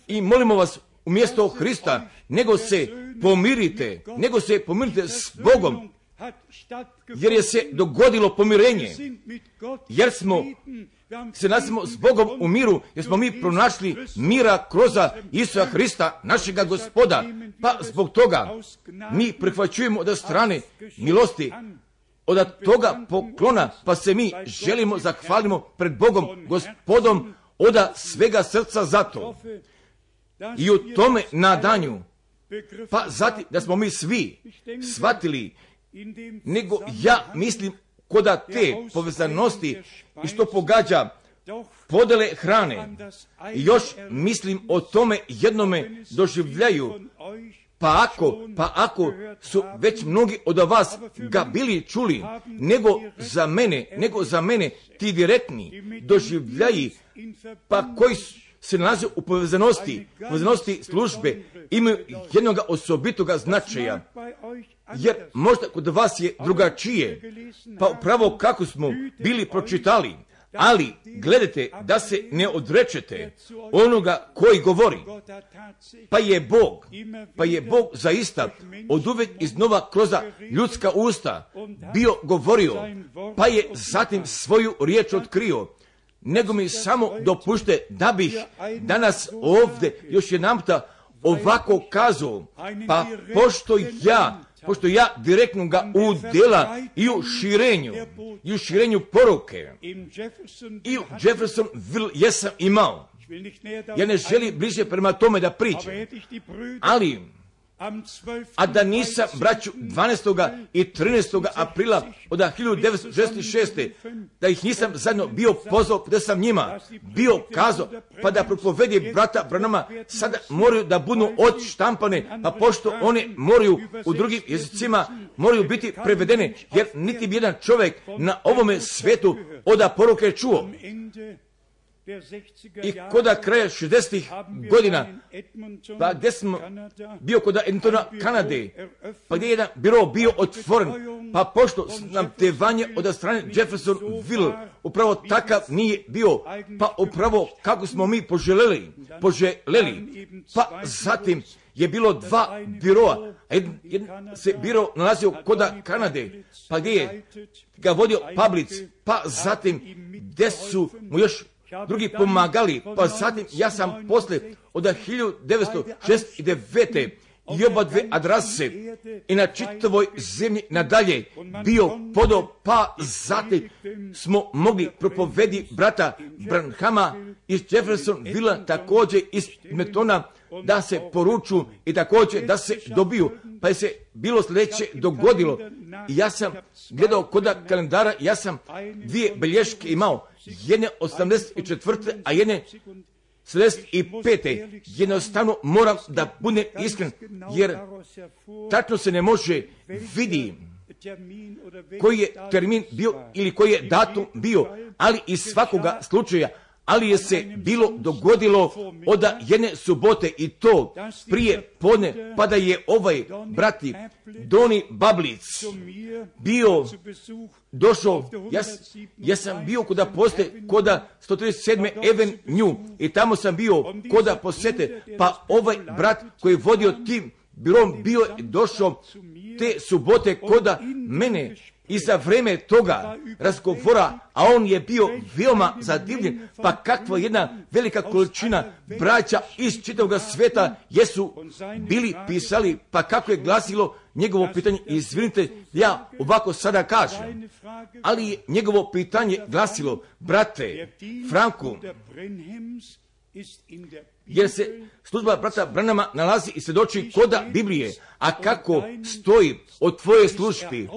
I molimo vas, umjesto Hrista, nego se pomirite, nego se pomirite s Bogom, jer je se dogodilo pomirenje, jer smo se nasimo s Bogom u miru, jer smo mi pronašli mira kroz Isusa Hrista, našega Gospoda, pa zbog toga mi prihvaćujemo od strane milosti, od toga poklona, pa se mi želimo zahvalimo pred Bogom, Gospodom, od svega srca za to. I u tome nadanju, pa zatim da smo mi svi shvatili, nego ja mislim koda te povezanosti i što pogađa podele hrane. I još mislim o tome jednome doživljaju. Pa ako, pa ako su već mnogi od vas ga bili čuli, nego za mene, nego za mene ti direktni doživljaji, pa koji se nalaze u povezanosti, povezanosti službe, imaju jednog osobitoga značaja. Jer možda kod vas je drugačije, pa upravo kako smo bili pročitali, ali gledajte da se ne odrečete onoga koji govori. Pa je Bog, pa je Bog zaista od uvijek iznova kroz ljudska usta bio govorio, pa je zatim svoju riječ otkrio. Nego mi samo dopušte da bih danas ovdje još jedanputa ovako kazao, pa pošto ja pošto ja direktno ga udjela i u širenju, i u širenju poruke, i u Jeffersonville jesam imao. Ja ne želim bliže prema tome da pričam, ali a da nisam, braću, dvanaestog i trinaestog aprila od hiljadu devetsto šezdeset šeste da ih nisam zajedno bio pozvao, da sam njima bio kazao, pa da propovedi brata Branama sada moraju da budu odštampane, pa pošto one moraju u drugim jezicima moraju biti prevedene, jer niti bi jedan čovjek na ovome svijetu od poruke čuo. I koda kraja šezdesetih godina, pa gdje smo bio kod Edmontona, Kanade, pa gdje je jedan biro bio otvoren, pa pošto nam tevanje od strane Jeffersonville upravo takav nije bio, pa upravo kako smo mi poželjeli, poželjeli, pa zatim je bilo dva biroa, jedan se biro nalazio koda Kanade, pa gdje je ga vodio Pablic, pa zatim gdje su mu još drugi pomagali, pa zatim ja sam poslije od hiljadu devetsto šezdeset devete i oba dve adrese i na čitavoj zemlji nadalje bio podao, pa zatim smo mogli propovedi brata Branhama iz Jeffersonville, također iz Edmontona, da se poruču i također da se dobiju, pa je se bilo sljedeće dogodilo. I ja sam gledao koda kalendara, ja sam dvije belješke imao, jedne osamdeset četvrte, a jedne sedamdeset pete. Jednostavno moram da budem iskren, jer tačno se ne može vidi koji je termin bio ili koji je datum bio, ali iz svakoga slučaja, ali je se bilo dogodilo od jedne subote i to prije podne, pa da je ovaj brati Doni Bablic bio došao, ja, ja sam bio koda poste, koda sto trideset sedme Avenue i tamo sam bio koda posete, pa ovaj brat koji je vodio tim birom bio je došao te subote koda mene i za vreme toga razgovora, a on je bio veoma zadivljen, pa kakva jedna velika količina braća iz čitavog sveta jesu bili pisali, pa kako je glasilo njegovo pitanje, izvinite, ja ovako sada kažem, ali je njegovo pitanje glasilo, brate Franku, jer se služba brata Branhama nalazi i svjedoči koda Biblije, a kako stoji o tvojoj službi,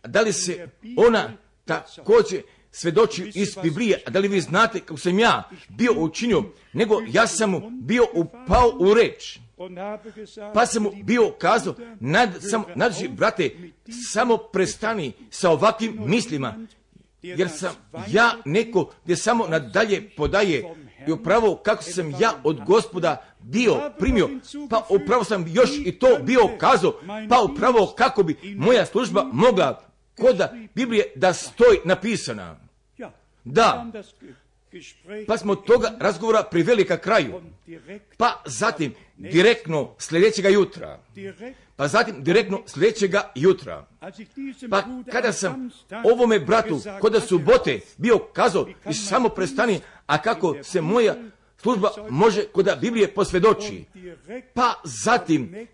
da li se ona također svjedoči iz Biblije, a da li vi znate kako sam ja bio učinio, nego ja sam mu bio upao u reč, pa sam mu bio kazao, nad, sam, nadži, brate, samo prestani sa ovakvim mislima, jer sam ja neko gdje samo nadalje podaje i upravo kako sam ja od Gospoda bio primio, pa upravo sam još i to bio kazao, pa upravo kako bi moja služba mogla koda Biblije da stoji napisana. Da, pa smo toga razgovora priveli ka kraju, pa zatim direktno sljedećega jutra, pa zatim direktno sljedećega jutra, pa kada sam ovome bratu koda subote bio kazao i samo prestani, a kako se moja služba može koda Biblije posvjedoči, pa zatim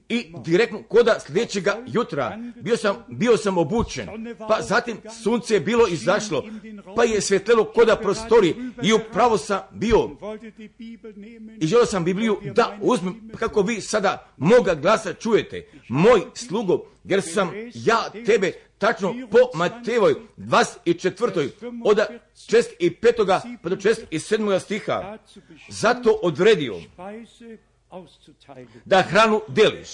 i direktno koda sljedećega jutra bio sam, bio sam obučen, pa zatim sunce je bilo izašlo, pa je svjetlelo koda prostori i upravo sam bio i želio sam Bibliju da uzmem, kako vi sada moga glasa čujete, moj slugo, jer sam ja tebe tačno po Matejevoj dvadeset četvrtoj od šezdeset petoga pa do šezdeset sedmoga stiha zato odredio da hranu deliš.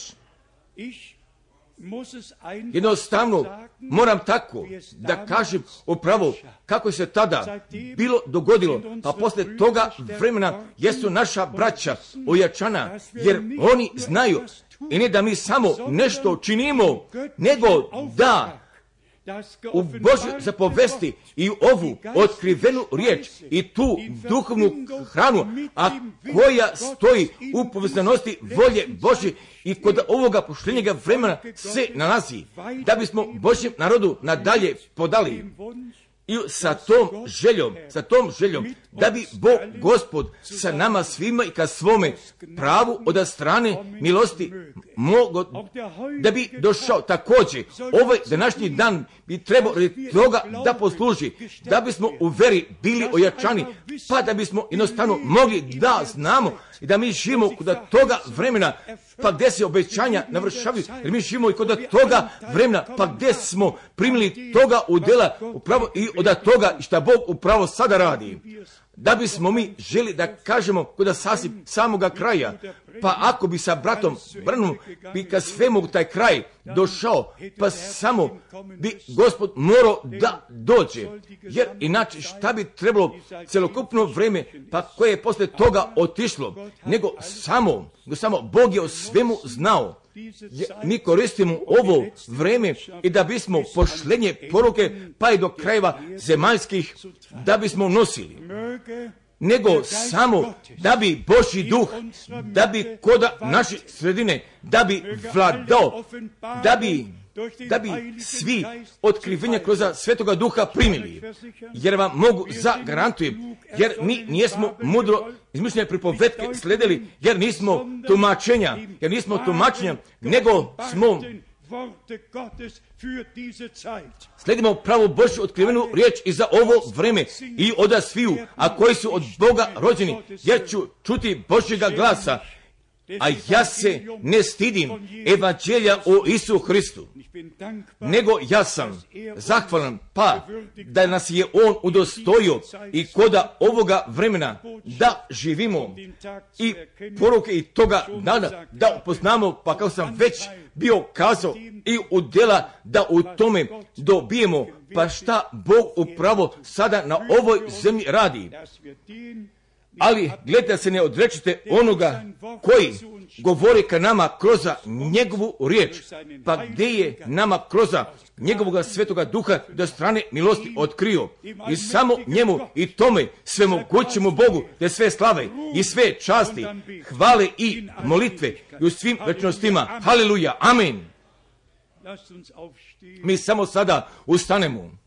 Jednostavno moram tako da kažem upravo kako se tada bilo dogodilo, pa posle toga vremena jesu naša braća ojačana, jer oni znaju i ne da mi samo nešto činimo, nego da u Božoj zapovesti i ovu otkrivenu riječ i tu duhovnu hranu, a koja stoji u povezanosti volje Božje i kod ovoga poštenjega vremena se nalazi, da bismo Božjem narodu nadalje podali. I sa tom željom, sa tom željom, da bi Bog Gospod sa nama svima i ka svome pravu od strane milosti mogo, da bi došao također. Ovaj današnji dan bi trebao toga da posluži, da bismo u veri bili ojačani, pa da bismo jednostavno mogli da znamo i da mi živimo kod toga vremena, pa gdje se obećanja navršavaju, jer mi živimo i kod toga vremena, pa gdje smo primili toga udjela upravo i od toga što Bog upravo sada radi. Da bismo mi želi da kažemo kod sasvim samoga kraja, pa ako bi sa bratom Branhamom bi ka svemu taj kraj došao, pa samo bi Gospod morao da dođe, jer inače šta bi trebalo celokupno vreme, pa koje je posle toga otišlo, nego samo, samo Bog je o svemu znao. Mi koristimo ovo vreme i da bismo pošlenje poruke pa i do krajeva zemaljskih da bismo nosili, nego samo da bi Božji duh, da bi koda naše sredine, da bi vladao, da bi da bi svi otkrivenja kroz Svetoga Duha primili. Jer vam mogu zagarantujem, jer mi nismo mudro izmišljene pripovetke sledili, jer nismo tumačenja, jer nismo tumačenja, nego smo sledimo pravu Božju otkrivenu riječ i za ovo vreme i oda sviju, a koji su od Boga rođeni, jer ću čuti Božjega glasa, a ja se ne stidim evanđelja o Isu Hristu, nego ja sam zahvalan pa da nas je On udostojio i koda ovoga vremena da živimo i poruke i toga dana da upoznamo, pa kao sam već bio kazao i u djela da u tome dobijemo, pa šta Bog upravo sada na ovoj zemlji radi. Ali gledajte, se ne odrečite onoga koji govori ka nama kroz njegovu riječ, pa gdje je nama kroz njegovog Svetoga Duha do strane milosti otkrio. I samo njemu i tome svemogućemu Bogu da sve slave i sve časti, hvale i molitve i u svim večnostima. Haleluja, amen. Mi samo sada ustanemo,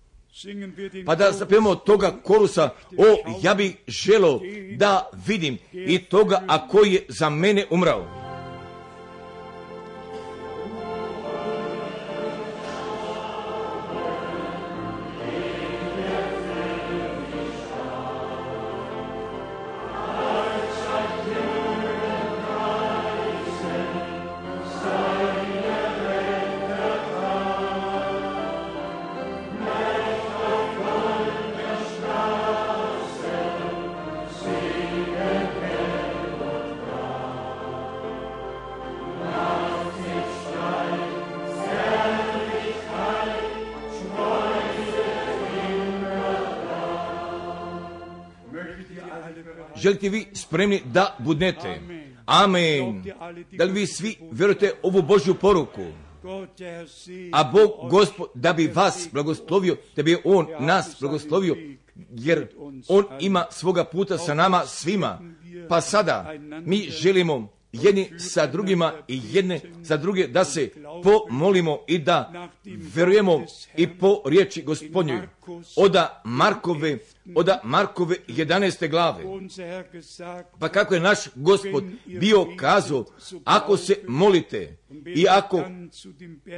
pa da zapijemo toga korusa, o, ja bih želio da vidim i toga, a koji je za mene umrao. Želite vi spremni da budnete? Amen. Da li vi svi vjerujete ovu Božju poruku? A Bog Gospod da bi vas blagoslovio, da bi On nas blagoslovio, jer On ima svoga puta sa nama svima. Pa sada mi želimo jedni sa drugima i jedne sa druge da se pomolimo i da vjerujemo i po riječi Gospodnjoj. Oda Markove, oda Markove jedanaeste glave. Pa kako je naš Gospod bio kazao, ako se molite i ako,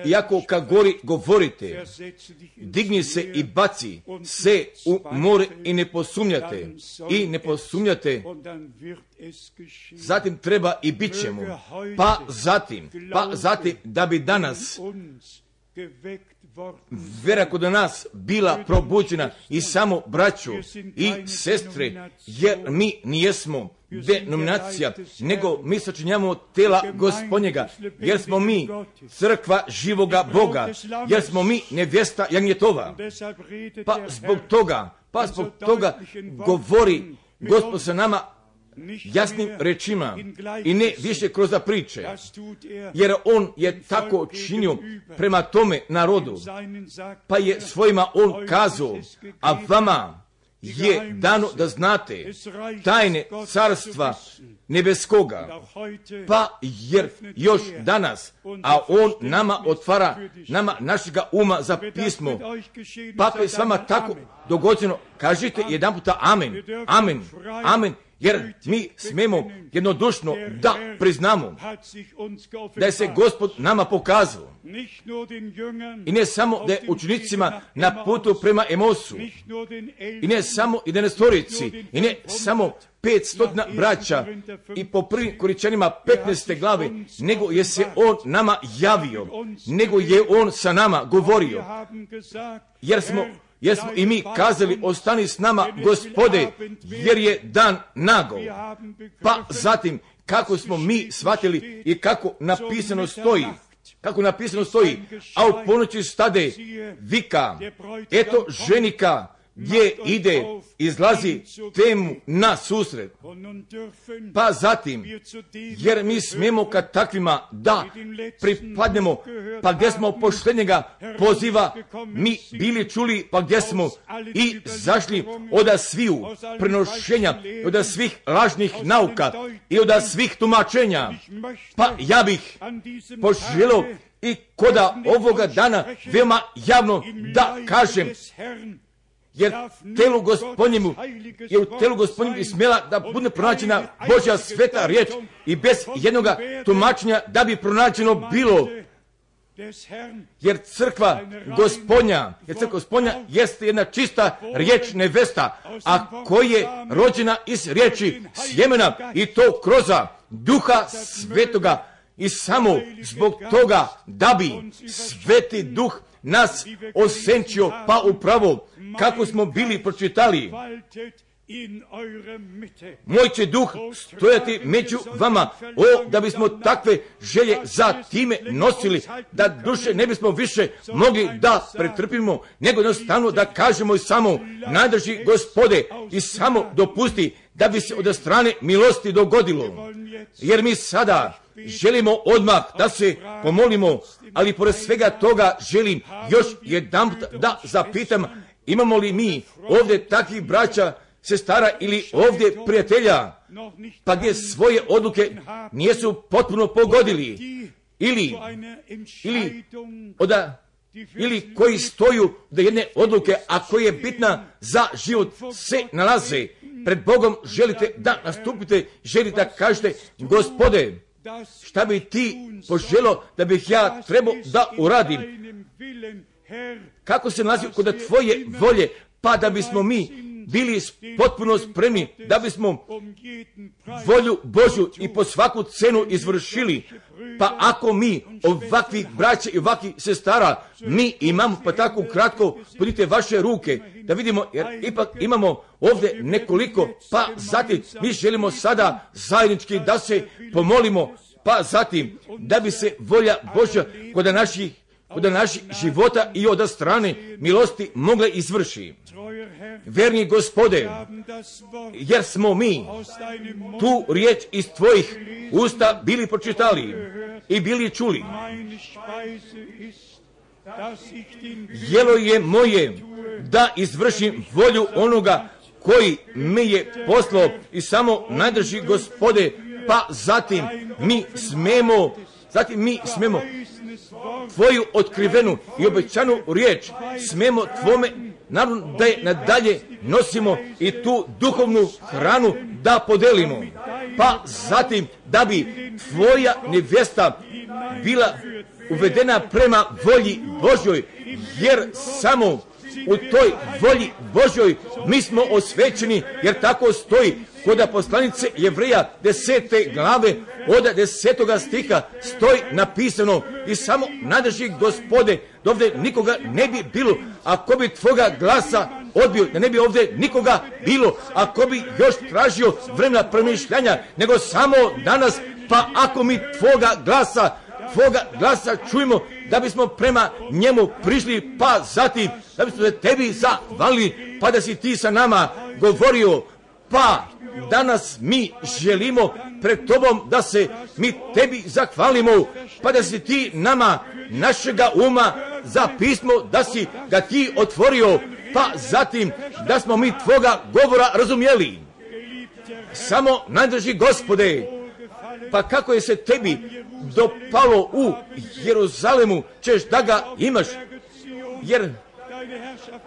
i ako ka gori govorite, digni se i baci se u more i ne posumnjate, i ne posumnjate, zatim treba i bit ćemo, pa zatim, pa zatim da bi danas vera kod nas bila probuđena i samo braću i sestre, jer mi nijesmo denominacija, nego mi sačinjavamo tela Gospodnjega, jer smo mi crkva živoga Boga, jer smo mi nevjesta Jagnjetova. Pa zbog toga, pa zbog toga govori Gospod sa nama jasnim rečima i ne više kroz priče, jer on je tako činio prema tome narodu, pa je svojima on kazao, a vama je dano da znate tajne carstva nebeskoga, pa jer još danas, a on nama otvara, nama našega uma za pismo, pa je s vama tako dogođeno, kažite jedan puta amen, amen, amen, jer mi smemo jednodušno da priznamo da je se Gospod nama pokazao. I ne samo da je učenicima na putu prema Emosu, i ne samo jedanaestorici, i ne samo petstotina braća i po prvim Koričanima petnaeste glave, nego je se on nama javio, nego je on sa nama govorio, jer smo Jer smo i mi kazali, ostani s nama, Gospode, jer je dan nagao. Pa zatim, kako smo mi shvatili i kako napisano stoji, kako napisano stoji, a u ponoći stade vika, eto ženika, gdje ide, izlazi temu na susret. Pa zatim, jer mi smijemo kad takvima da pripadnemo, pa gdje smo poštenjega poziva, mi bili čuli, pa gdje smo i zašli od sviju prenošenja, od svih lažnih nauka i od svih tumačenja. Pa ja bih poželio i koda ovoga dana veoma javno da kažem, jer telu Gospodnjemu, je u telu Gospodnjemu i smjela da bude pronađena Božja sveta riječ i bez jednoga tumačenja da bi pronađeno bilo. Jer crkva Gospodnja, jer crkva Gospodnja jeste jedna čista riječ nevesta, a koja je rođena iz riječi sjemena i to kroz Duha Svetoga. I samo zbog toga da bi Sveti Duh nas osenčio, pa upravo kako smo bili pročitali, moj će duh stojati među vama, o da bismo takve želje za time nosili, da duše ne bismo više mogli da pretrpimo, nego jednostavno da kažemo i samo, najdrži Gospode, i samo dopusti da bi se od strane milosti dogodilo. Jer mi sada želimo odmah da se pomolimo, ali pored svega toga želim još jedan da zapitam, imamo li mi ovdje takvih braća, sestara ili ovdje prijatelja, pa gdje svoje odluke nisu potpuno pogodili, ili, ili, oda, ili koji stoju do jedne odluke, a koja je bitna za život, se nalaze pred Bogom, želite da nastupite, želite da kažete, Gospode, šta bi ti poželio da bih ja trebao da uradim? Kako se nalazi kod tvoje volje, pa da bismo mi bili potpuno spremni, da bismo volju Božju i po svaku cenu izvršili. Pa ako mi ovakvih braća i ovakvih sestara, mi imamo pa tako kratko, podite vaše ruke, da vidimo, jer ipak imamo ovdje nekoliko, pa zatim mi želimo sada zajednički da se pomolimo, pa zatim da bi se volja Božja kod naših kod naših života i od strane milosti mogle izvrši. Verni Gospode, jer smo mi tu riječ iz tvojih usta bili pročitali i bili čuli. Jelo je moje da izvršim volju onoga koji me je poslao i samo najdrži Gospode, pa zatim mi smemo, zatim mi smemo tvoju otkrivenu i obećanu riječ smemo tvome, naravno da je nadalje nosimo i tu duhovnu hranu da podelimo, pa zatim da bi tvoja nevjesta bila uvedena prema volji Božjoj, jer samo u toj volji Božjoj mi smo osvećeni, jer tako stoji kod poslanice Jevreja desete glave od desetoga stiha stoji napisano i samo nadrži Gospode da ovdje nikoga ne bi bilo, ako bi tvoga glasa odbio, da ne bi ovdje nikoga bilo, ako bi još tražio vremena premišljanja, nego samo danas, pa ako mi tvoga glasa tvoga glasa čujemo, da bismo prema njemu prišli, pa zatim da bismo se tebi zahvalili, pa da si ti sa nama govorio, pa danas mi želimo pred tobom da se mi tebi zahvalimo, pa da si ti nama našega uma za pismo, da si ga ti otvorio, pa zatim da smo mi tvoga govora razumjeli. Samo najdrži Gospode, pa kako je se tebi dopalo u Jeruzalemu, ćeš da ga imaš, jer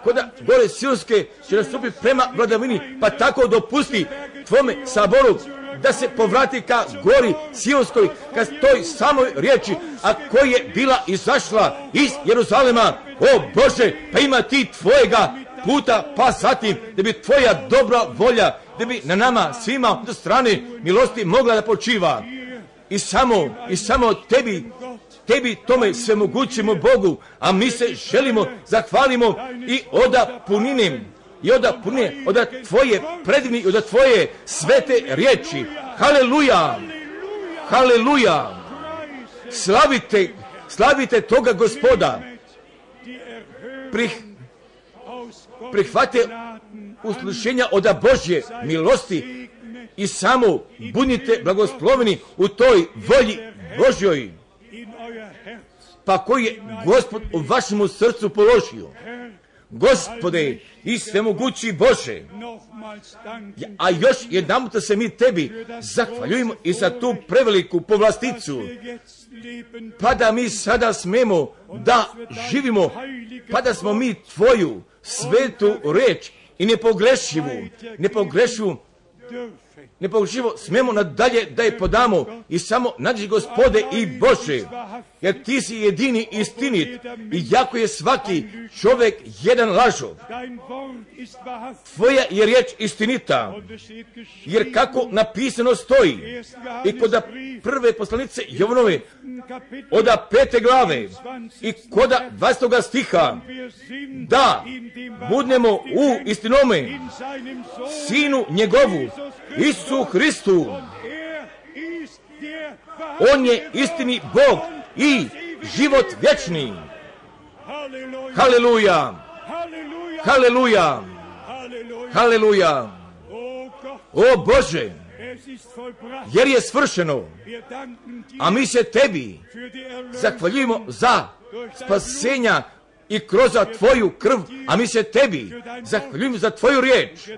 koda gore Sionske će nastupiti prema vladavini, pa tako dopusti tvome saboru da se povrati ka gori Sionskoj, ka toj samoj riječi, a koja je bila izašla iz Jeruzalema. O Bože, pa ima ti tvojega puta, pa zatim da bi tvoja dobra volja, da bi na nama svima do strane milosti mogla da počiva. I samo, i samo tebi, tebi tome svemogućemu Bogu, a mi se želimo, zahvalimo i oda puninem, i oda punine, oda tvoje predivni, i oda tvoje svete riječi. Haleluja, haleluja, slavite, slavite toga Gospoda, Prih, prihvate uslušenja oda Božje milosti i samo budite blagosloveni u toj volji Božjoj, pa koji je Gospod u vašemu srcu položio. Gospode i svemogući Bože, a još jedanput se mi tebi zahvaljujemo i za tu preveliku povlasticu, pa da mi sada smemo da živimo, pa da smo mi tvoju svetu reč i nepogrešivu, nepogrešivu, nepogrešivo smemo nadalje da je podamo i samo nađi Gospode i Bože, jer ti si jedini istinit i jako je svaki čovjek jedan lažov. Tvoja je riječ istinita, jer kako napisano stoji i kod prve poslanice Jovanove od pete glave i kod dvadestog stiha, da budemo u istinome Sinu njegovu, Isusu Hristu. On je istini Bog i život vječni. Haleluja, haleluja, haleluja. O Bože, jer je svršeno, a mi se tebi zahvaljujemo za spasenja i kroz tvoju krv, a mi se tebi zahvaljujemo za tvoju riječ,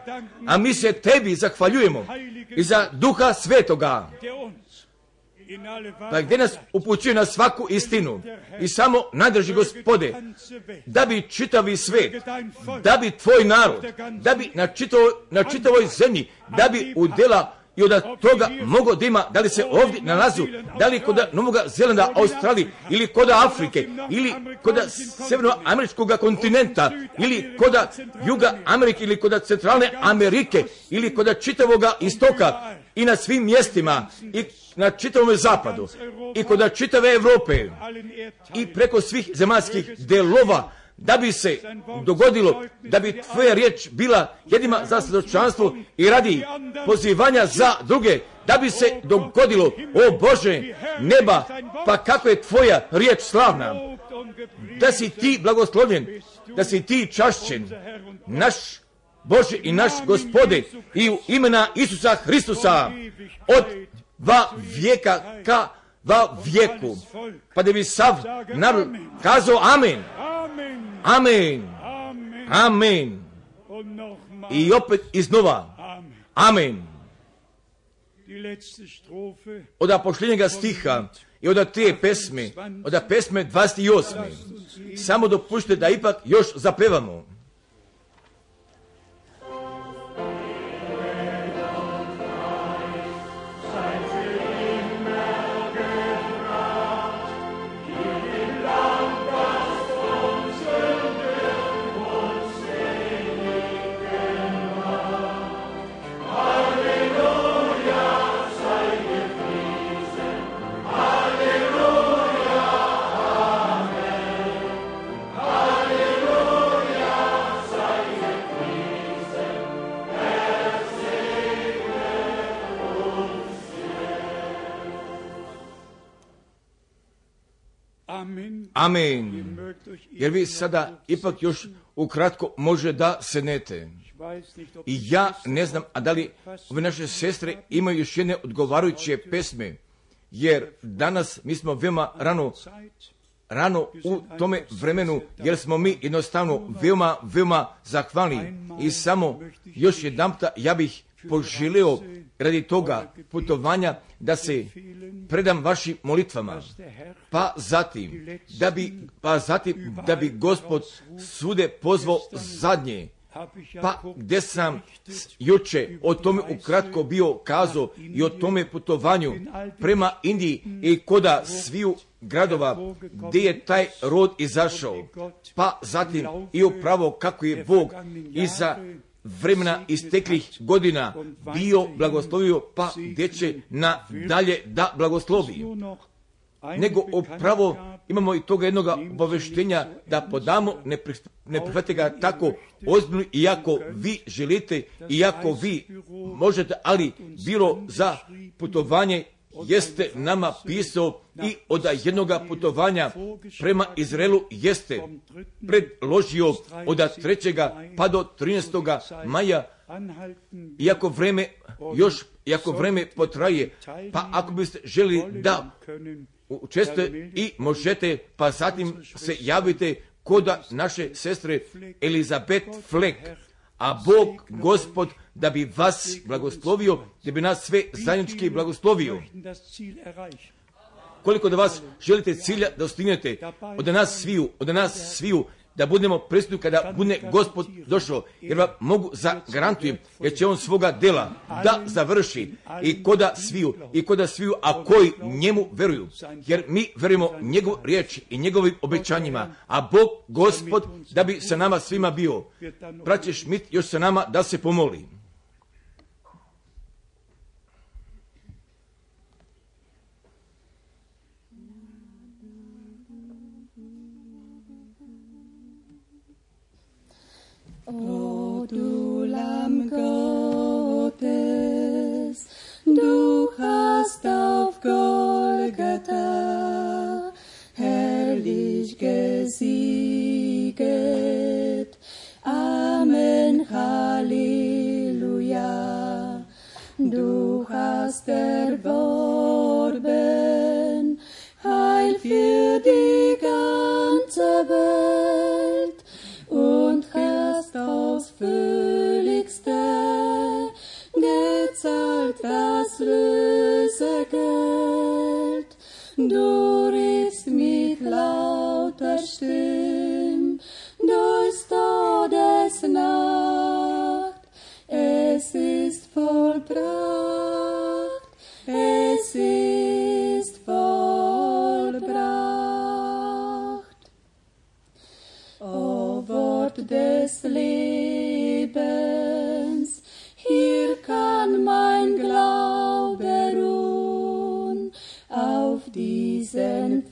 a mi se tebi zahvaljujemo i za Duha Svetoga, pa gdje nas upućuje na svaku istinu i samo nadrži Gospode, da bi čitavi svet, da bi tvoj narod, da bi na, čitavoj, na čitavoj zemlji, da bi udjela i od toga mogo da ima, da li se ovdje nalazu, da li kod Novoga Zelanda, Australije, ili kod Afrike, ili kod Sjevernoameričkog kontinenta, ili kod Juga Amerike, ili kod Centralne Amerike, ili kod čitavoga istoka i na svim mjestima, i na čitavom zapadu, i kod čitave Evrope, i preko svih zemaljskih delova, da bi se dogodilo, da bi tvoja riječ bila jedima za svjedočanstvo i radi pozivanja za druge, da bi se dogodilo, o Bože neba, pa kako je tvoja riječ slavna, da si ti blagoslovljen, da si ti čašćen, naš Bože i naš Gospode, i u imena Isusa Hristusa, od dva vijeka ka dva vijeku, pa da bi sav narod kazao amen. Amen. Amen. I opet iznova. Amen. Od posljednjega stiha i od te pesme, od pesme dvadeset osme. Samo dopušte da ipak još zapevamo. Amen. Jer vi sada ipak još ukratko može da sednete. I ja ne znam, a da li ove naše sestre imaju još jedne odgovarajuće pesme, jer danas mi smo veoma rano, rano u tome vremenu, jer smo mi jednostavno veoma, veoma zahvalni. I samo još jedanputa ja bih poželio radi toga putovanja da se predam vašim molitvama, pa zatim da bi, pa zatim da bi Gospod svude pozvao zadnje. Pa gdje sam juče o tome ukratko bio kazao i o tome putovanju prema Indiji i koda sviju gradova gdje je taj rod izašao, pa zatim i upravo kako je Bog iza vremena isteklih godina bio blagoslovio, pa gdje će na dalje da blagoslovi. Nego upravo imamo i toga jednoga obaveštenja da podamo, ne, pri, ne prihvatite ga tako ozbiljno, iako vi želite, iako vi možete, ali bilo za putovanje jeste nama pisao i od jednoga putovanja prema Izraelu jeste predložio od trećega pa do trinaestoga maja, iako vreme još, iako vreme potraje, pa ako biste želi da učestvujete i možete, pa zatim se javite kod naše sestre Elizabeth Fleck, a Bog, Gospod, da bi vas blagoslovio, da bi nas sve zajednički blagoslovio. Koliko da vas želite cilja da ostignete, od nas sviju, od nas sviju, da budemo prisutni kada bude Gospod došao, jer vam mogu zagarantujem, jer će on svoga dela da završi i koda sviju, i koda sviju, a koji njemu veruju, jer mi verujemo njegovu riječ i njegovim obećanjima, a Bog, Gospod, da bi sa nama svima bio. Braće Šmit još sa nama da se pomoli. O du Lamm Gottes, du hast auf Golgatha herrlich gesieget. Amen, Halleluja. Du hast erworben Heil für die ganze Welt und hast ausführlichste gezahlt das Lösegeld. Du riefst mit lauter Stimm durchs Todesnacht. Es ist vollbracht, es ist vollbracht. O Wort des Lebens, hier kann mein Glaube ruhen. Auf diesen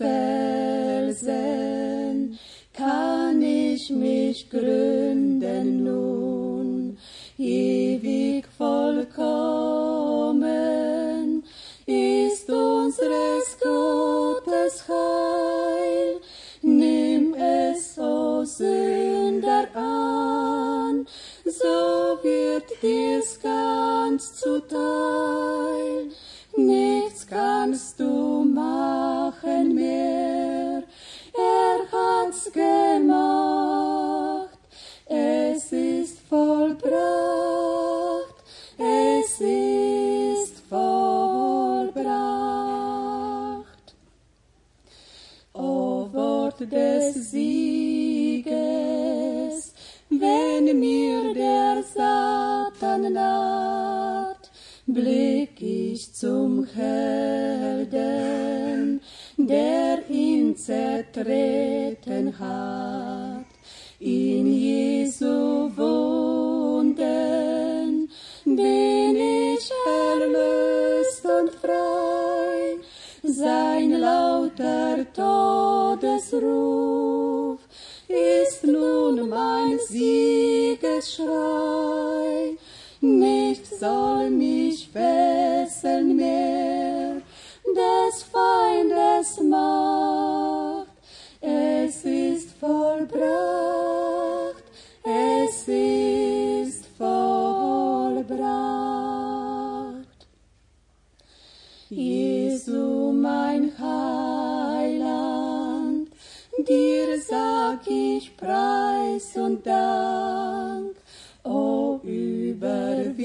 Felsen kann ich mich gründen nun. Ewig vollkommen ist unseres Gottes Heil. Nimm es, o Sünder, an, so wird dir's ganz zuteil. Nichts kannst du machen mehr, er hat's gemacht. Es ist vollbracht, es ist vollbracht. O Wort des Sieges, wenn mir der Satan naht, blick ich zum Helden, der ihn zertreten hat. In Jesu Wunden bin ich erlöst und frei. Sein lauter Todesruf ist nun mein Siegesschrei. Nichts soll mich fesseln mehr, des Feindes Macht. ich Preis und Dank, o Überwinder,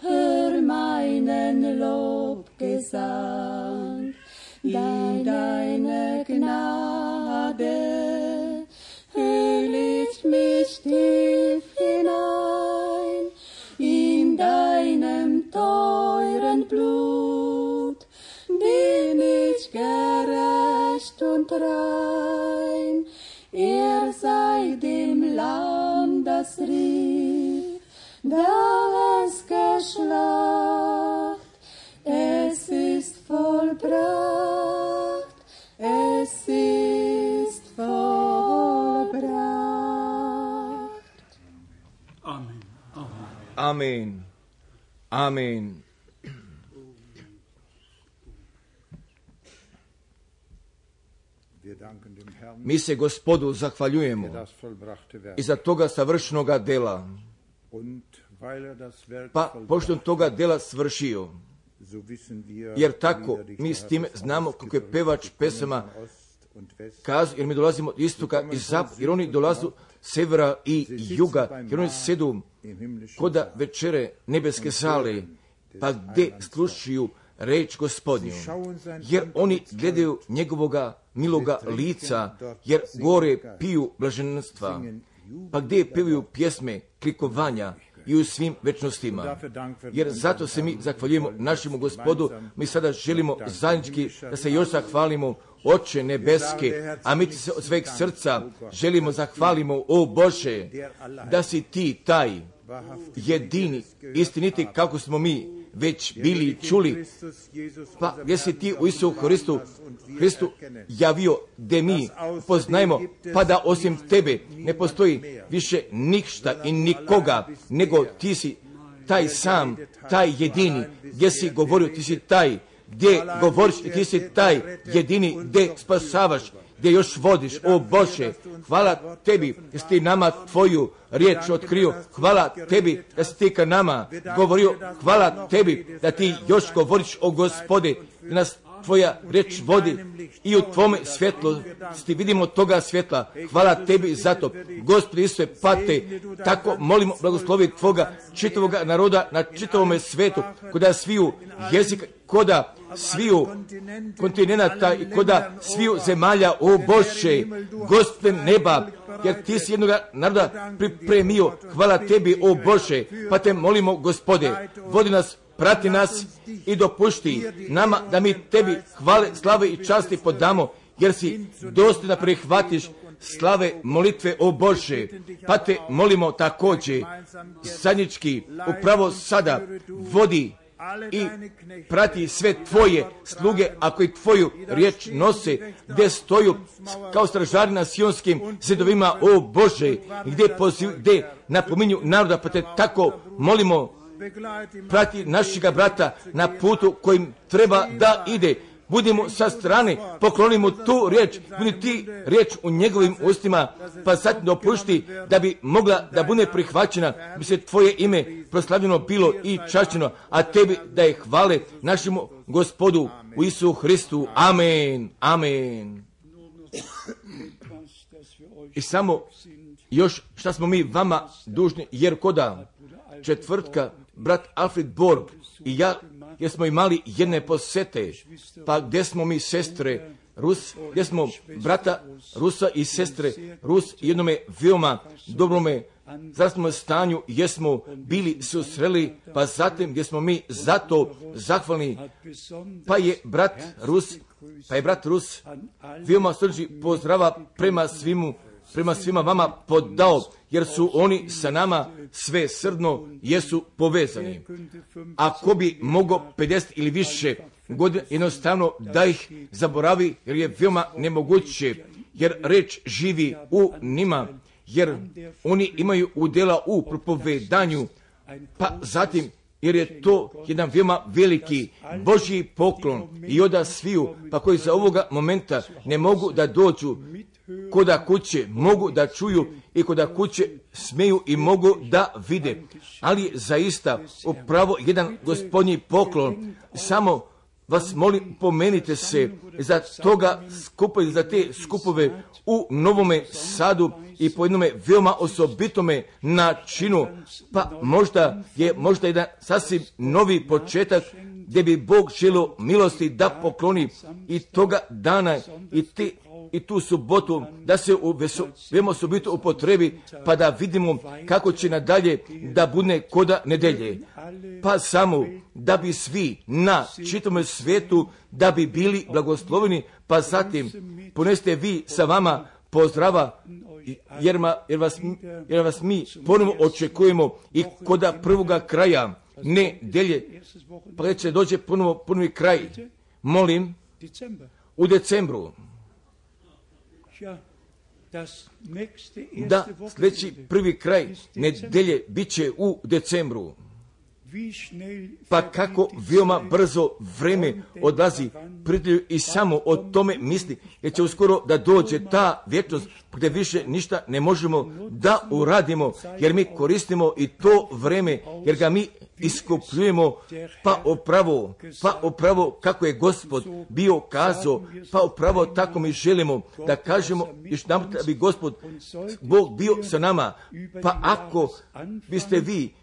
hör meinen Lobgesang, in deine Gnade hüll ich mich tief hinein, in deinem teuren Blut bin ich gerecht und rein. Er sei dem Lamm, das rief, da es geschlacht, es ist vollbracht, es ist vollbracht. Amen. Amen. Amen. Mi se Gospodu zahvaljujemo i za toga savršenoga dela. Pa, pošto toga dela svršio, jer tako mi s tim znamo kako je pevač pesama kazao, jer mi dolazimo od istoka i zapada, jer oni dolazu severa i juga, jer oni sedu koda večere nebeske sale, pa gdje slušaju reč Gospodnju, jer oni gledaju njegovoga miloga lica, jer gore piju blaženstva, pa gdje pevaju pjesme klikovanja i u svim večnostima. Jer zato se mi zahvaljujemo našemu Gospodu, mi sada želimo zajednički da se još zahvalimo, Oče nebeske, a mi ti se od sveg srca želimo zahvalimo, o Bože, da si ti taj jedini, istiniti kako smo mi već bili čuli, pa gdje si ti u Isusu Hristu, Hristu javio, gdje mi poznajemo, pa da osim tebe ne postoji više ništa i nikoga, nego ti si taj sam, taj jedini, gdje si govorio, ti si taj, gdje govoriš i ti si taj jedini, gdje spasavaš, gdje još vodiš, o Bože, hvala tebi da si ti nama tvoju riječ otkrio, hvala tebi da si ti ka nama govorio, hvala tebi da ti još govoriš, o Gospode, da nas tvoja riječ vodi i u tvome svjetlo, ti vidimo toga svjetla, hvala tebi za to, Gospode Isuse, pate, tako molimo blagoslovi tvoga čitavoga naroda na čitavome svetu, koda sviju jezika, koda sviju kontinenta i koda sviju zemalja, o Bože, Gospode neba, jer ti si jednoga naroda pripremio, hvala tebi, o Bože, pa te molimo, Gospode, vodi nas, prati nas i dopušti nama da mi tebi hvale, slave i časti podamo, jer si dosta da prihvatiš slave molitve, o Bože, pa te molimo također zajednički upravo sada vodi i prati sve tvoje sluge, ako i tvoju riječ nose, gdje stoju kao stražari na sionskim zidovima, o Bože, gdje, poziv, gdje napominju naroda, pa te tako molimo, prati našega brata na putu kojim treba da ide. Budimo sa strane, poklonimo tu riječ, budi ti riječ u njegovim ustima, pa sad dopušti da bi mogla da bude prihvaćena, bi se tvoje ime proslavljeno bilo i čašćeno, a tebi da je hvale našemu Gospodu u Isusu Hristu. Amen. Amen. I samo još šta smo mi vama dužni, jer koda četvrtka brat Alfred Borg i ja, jer smo imali jedne posete, pa gdje smo mi sestre Rus, gdje smo brata Rusa i sestre Rus jednome veoma dobrome zdravstvenom stanju, gdje smo bili susreli, pa zatim gdje smo mi zato zahvalni, pa je brat Rus, pa je brat Rus veoma srži pozdrava prema svimu, prema svima vama podao, jer su oni sa nama sve srdno jesu povezani. Ako bi mogo pedeset ili više godina, jednostavno da ih zaboravi, jer je veoma nemoguće, jer reč živi u njima, jer oni imaju udjela u propovedanju, pa zatim jer je to jedan veoma veliki Božji poklon i oda sviju, pa koji za ovoga momenta ne mogu da dođu koda kuće, mogu da čuju i koda kuće smeju i mogu da vide. Ali zaista upravo jedan Gospodnji poklon, samo vas molim, pomenite se za toga skupa, za te skupove u Novome Sadu i po jednome veoma osobitome načinu, pa možda je možda jedan sasvim novi početak gdje bi Bog želio milosti da pokloni i toga dana i, te, i tu subotu da se u veoma osobito upotrebi, pa da vidimo kako će nadalje da bude koda nedelje. Pa samo da bi svi na čitavom svijetu da bi bili blagosloveni, pa zatim poneste vi sa vama pozdrava, jer, ma, jer, vas, jer vas mi ponovno očekujemo i koda prvoga kraja nedelje, pa će dođe ponovo ponovi kraj. Molim, u decembru, da sljedeći prvi kraj nedelje bit će u decembru. Pa kako veoma brzo vreme odlazi, prijatelju, i samo o tome misli, jer će uskoro da dođe ta vječnost gdje više ništa ne možemo da uradimo, jer mi koristimo i to vreme, jer ga mi iskupljujemo, pa upravo, pa upravo kako je Gospod bio kazao, pa upravo tako mi želimo da kažemo još nam da bi Gospod Bog bio sa nama. Pa ako biste vi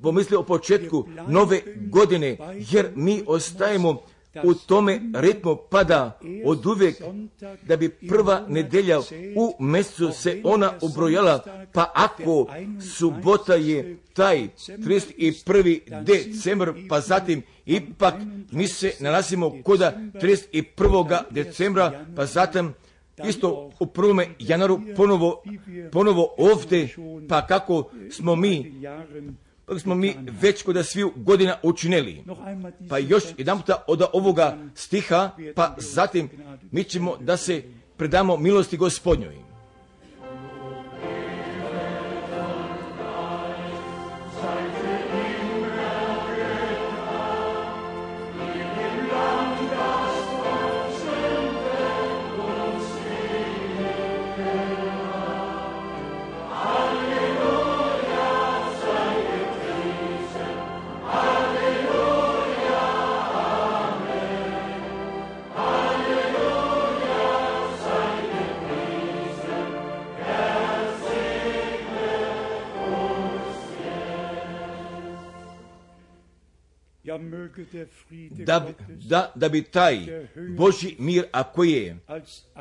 pomislili o početku nove godine, jer mi ostajemo u tome ritmu pada od uvijek, da bi prva nedelja u mjesecu se ona ubrojala, pa ako subota je taj trideset prvi decembar, pa zatim ipak mi se nalazimo koda trideset prvog decembra, pa zatim isto u prvome januaru ponovo, ponovo ovdje, pa kako smo mi Pa smo mi već kod sviju godina učinili. Pa još jedan puta od ovoga stiha, pa zatim mi ćemo da se predamo milosti Gospodnjoj. Da, da, da bi taj Božji mir, a koji je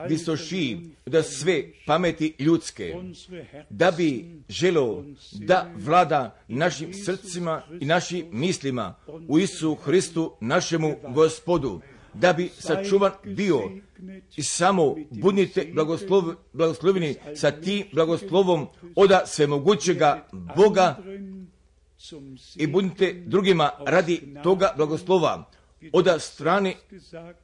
visoši da sve pameti ljudske, da bi želio da vlada našim srcima i našim mislima u Isusu Hristu našemu Gospodu, da bi sačuvan bio i samo budite blagoslov, blagosloveni sa tim blagoslovom od svemogućega Boga i budite drugima radi toga blagoslova od strane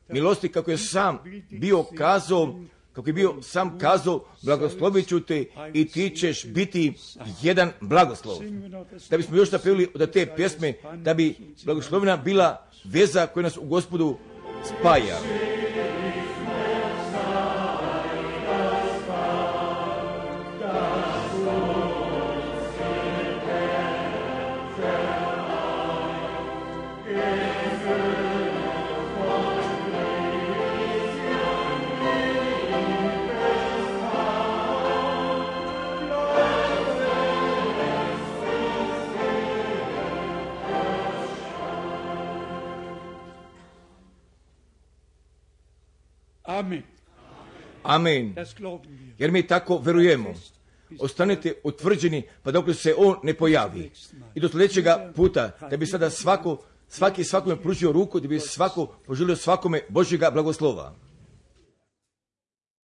milosti, kako je sam bio kazao, kako je bio sam kazao, blagoslovit ću te i ti ćeš biti jedan blagoslov. Da bismo još napevili od te pjesme, da bi blagoslovena bila veza koja nas u Gospodu spaja. Amen. Amen. Jer mi tako verujemo. Ostanite utvrđeni, pa dok se on ne pojavi. I do sljedećega puta, da bi sada svako, svaki svakome pružio ruku, da bi svako poželio svakome Božjega blagoslova.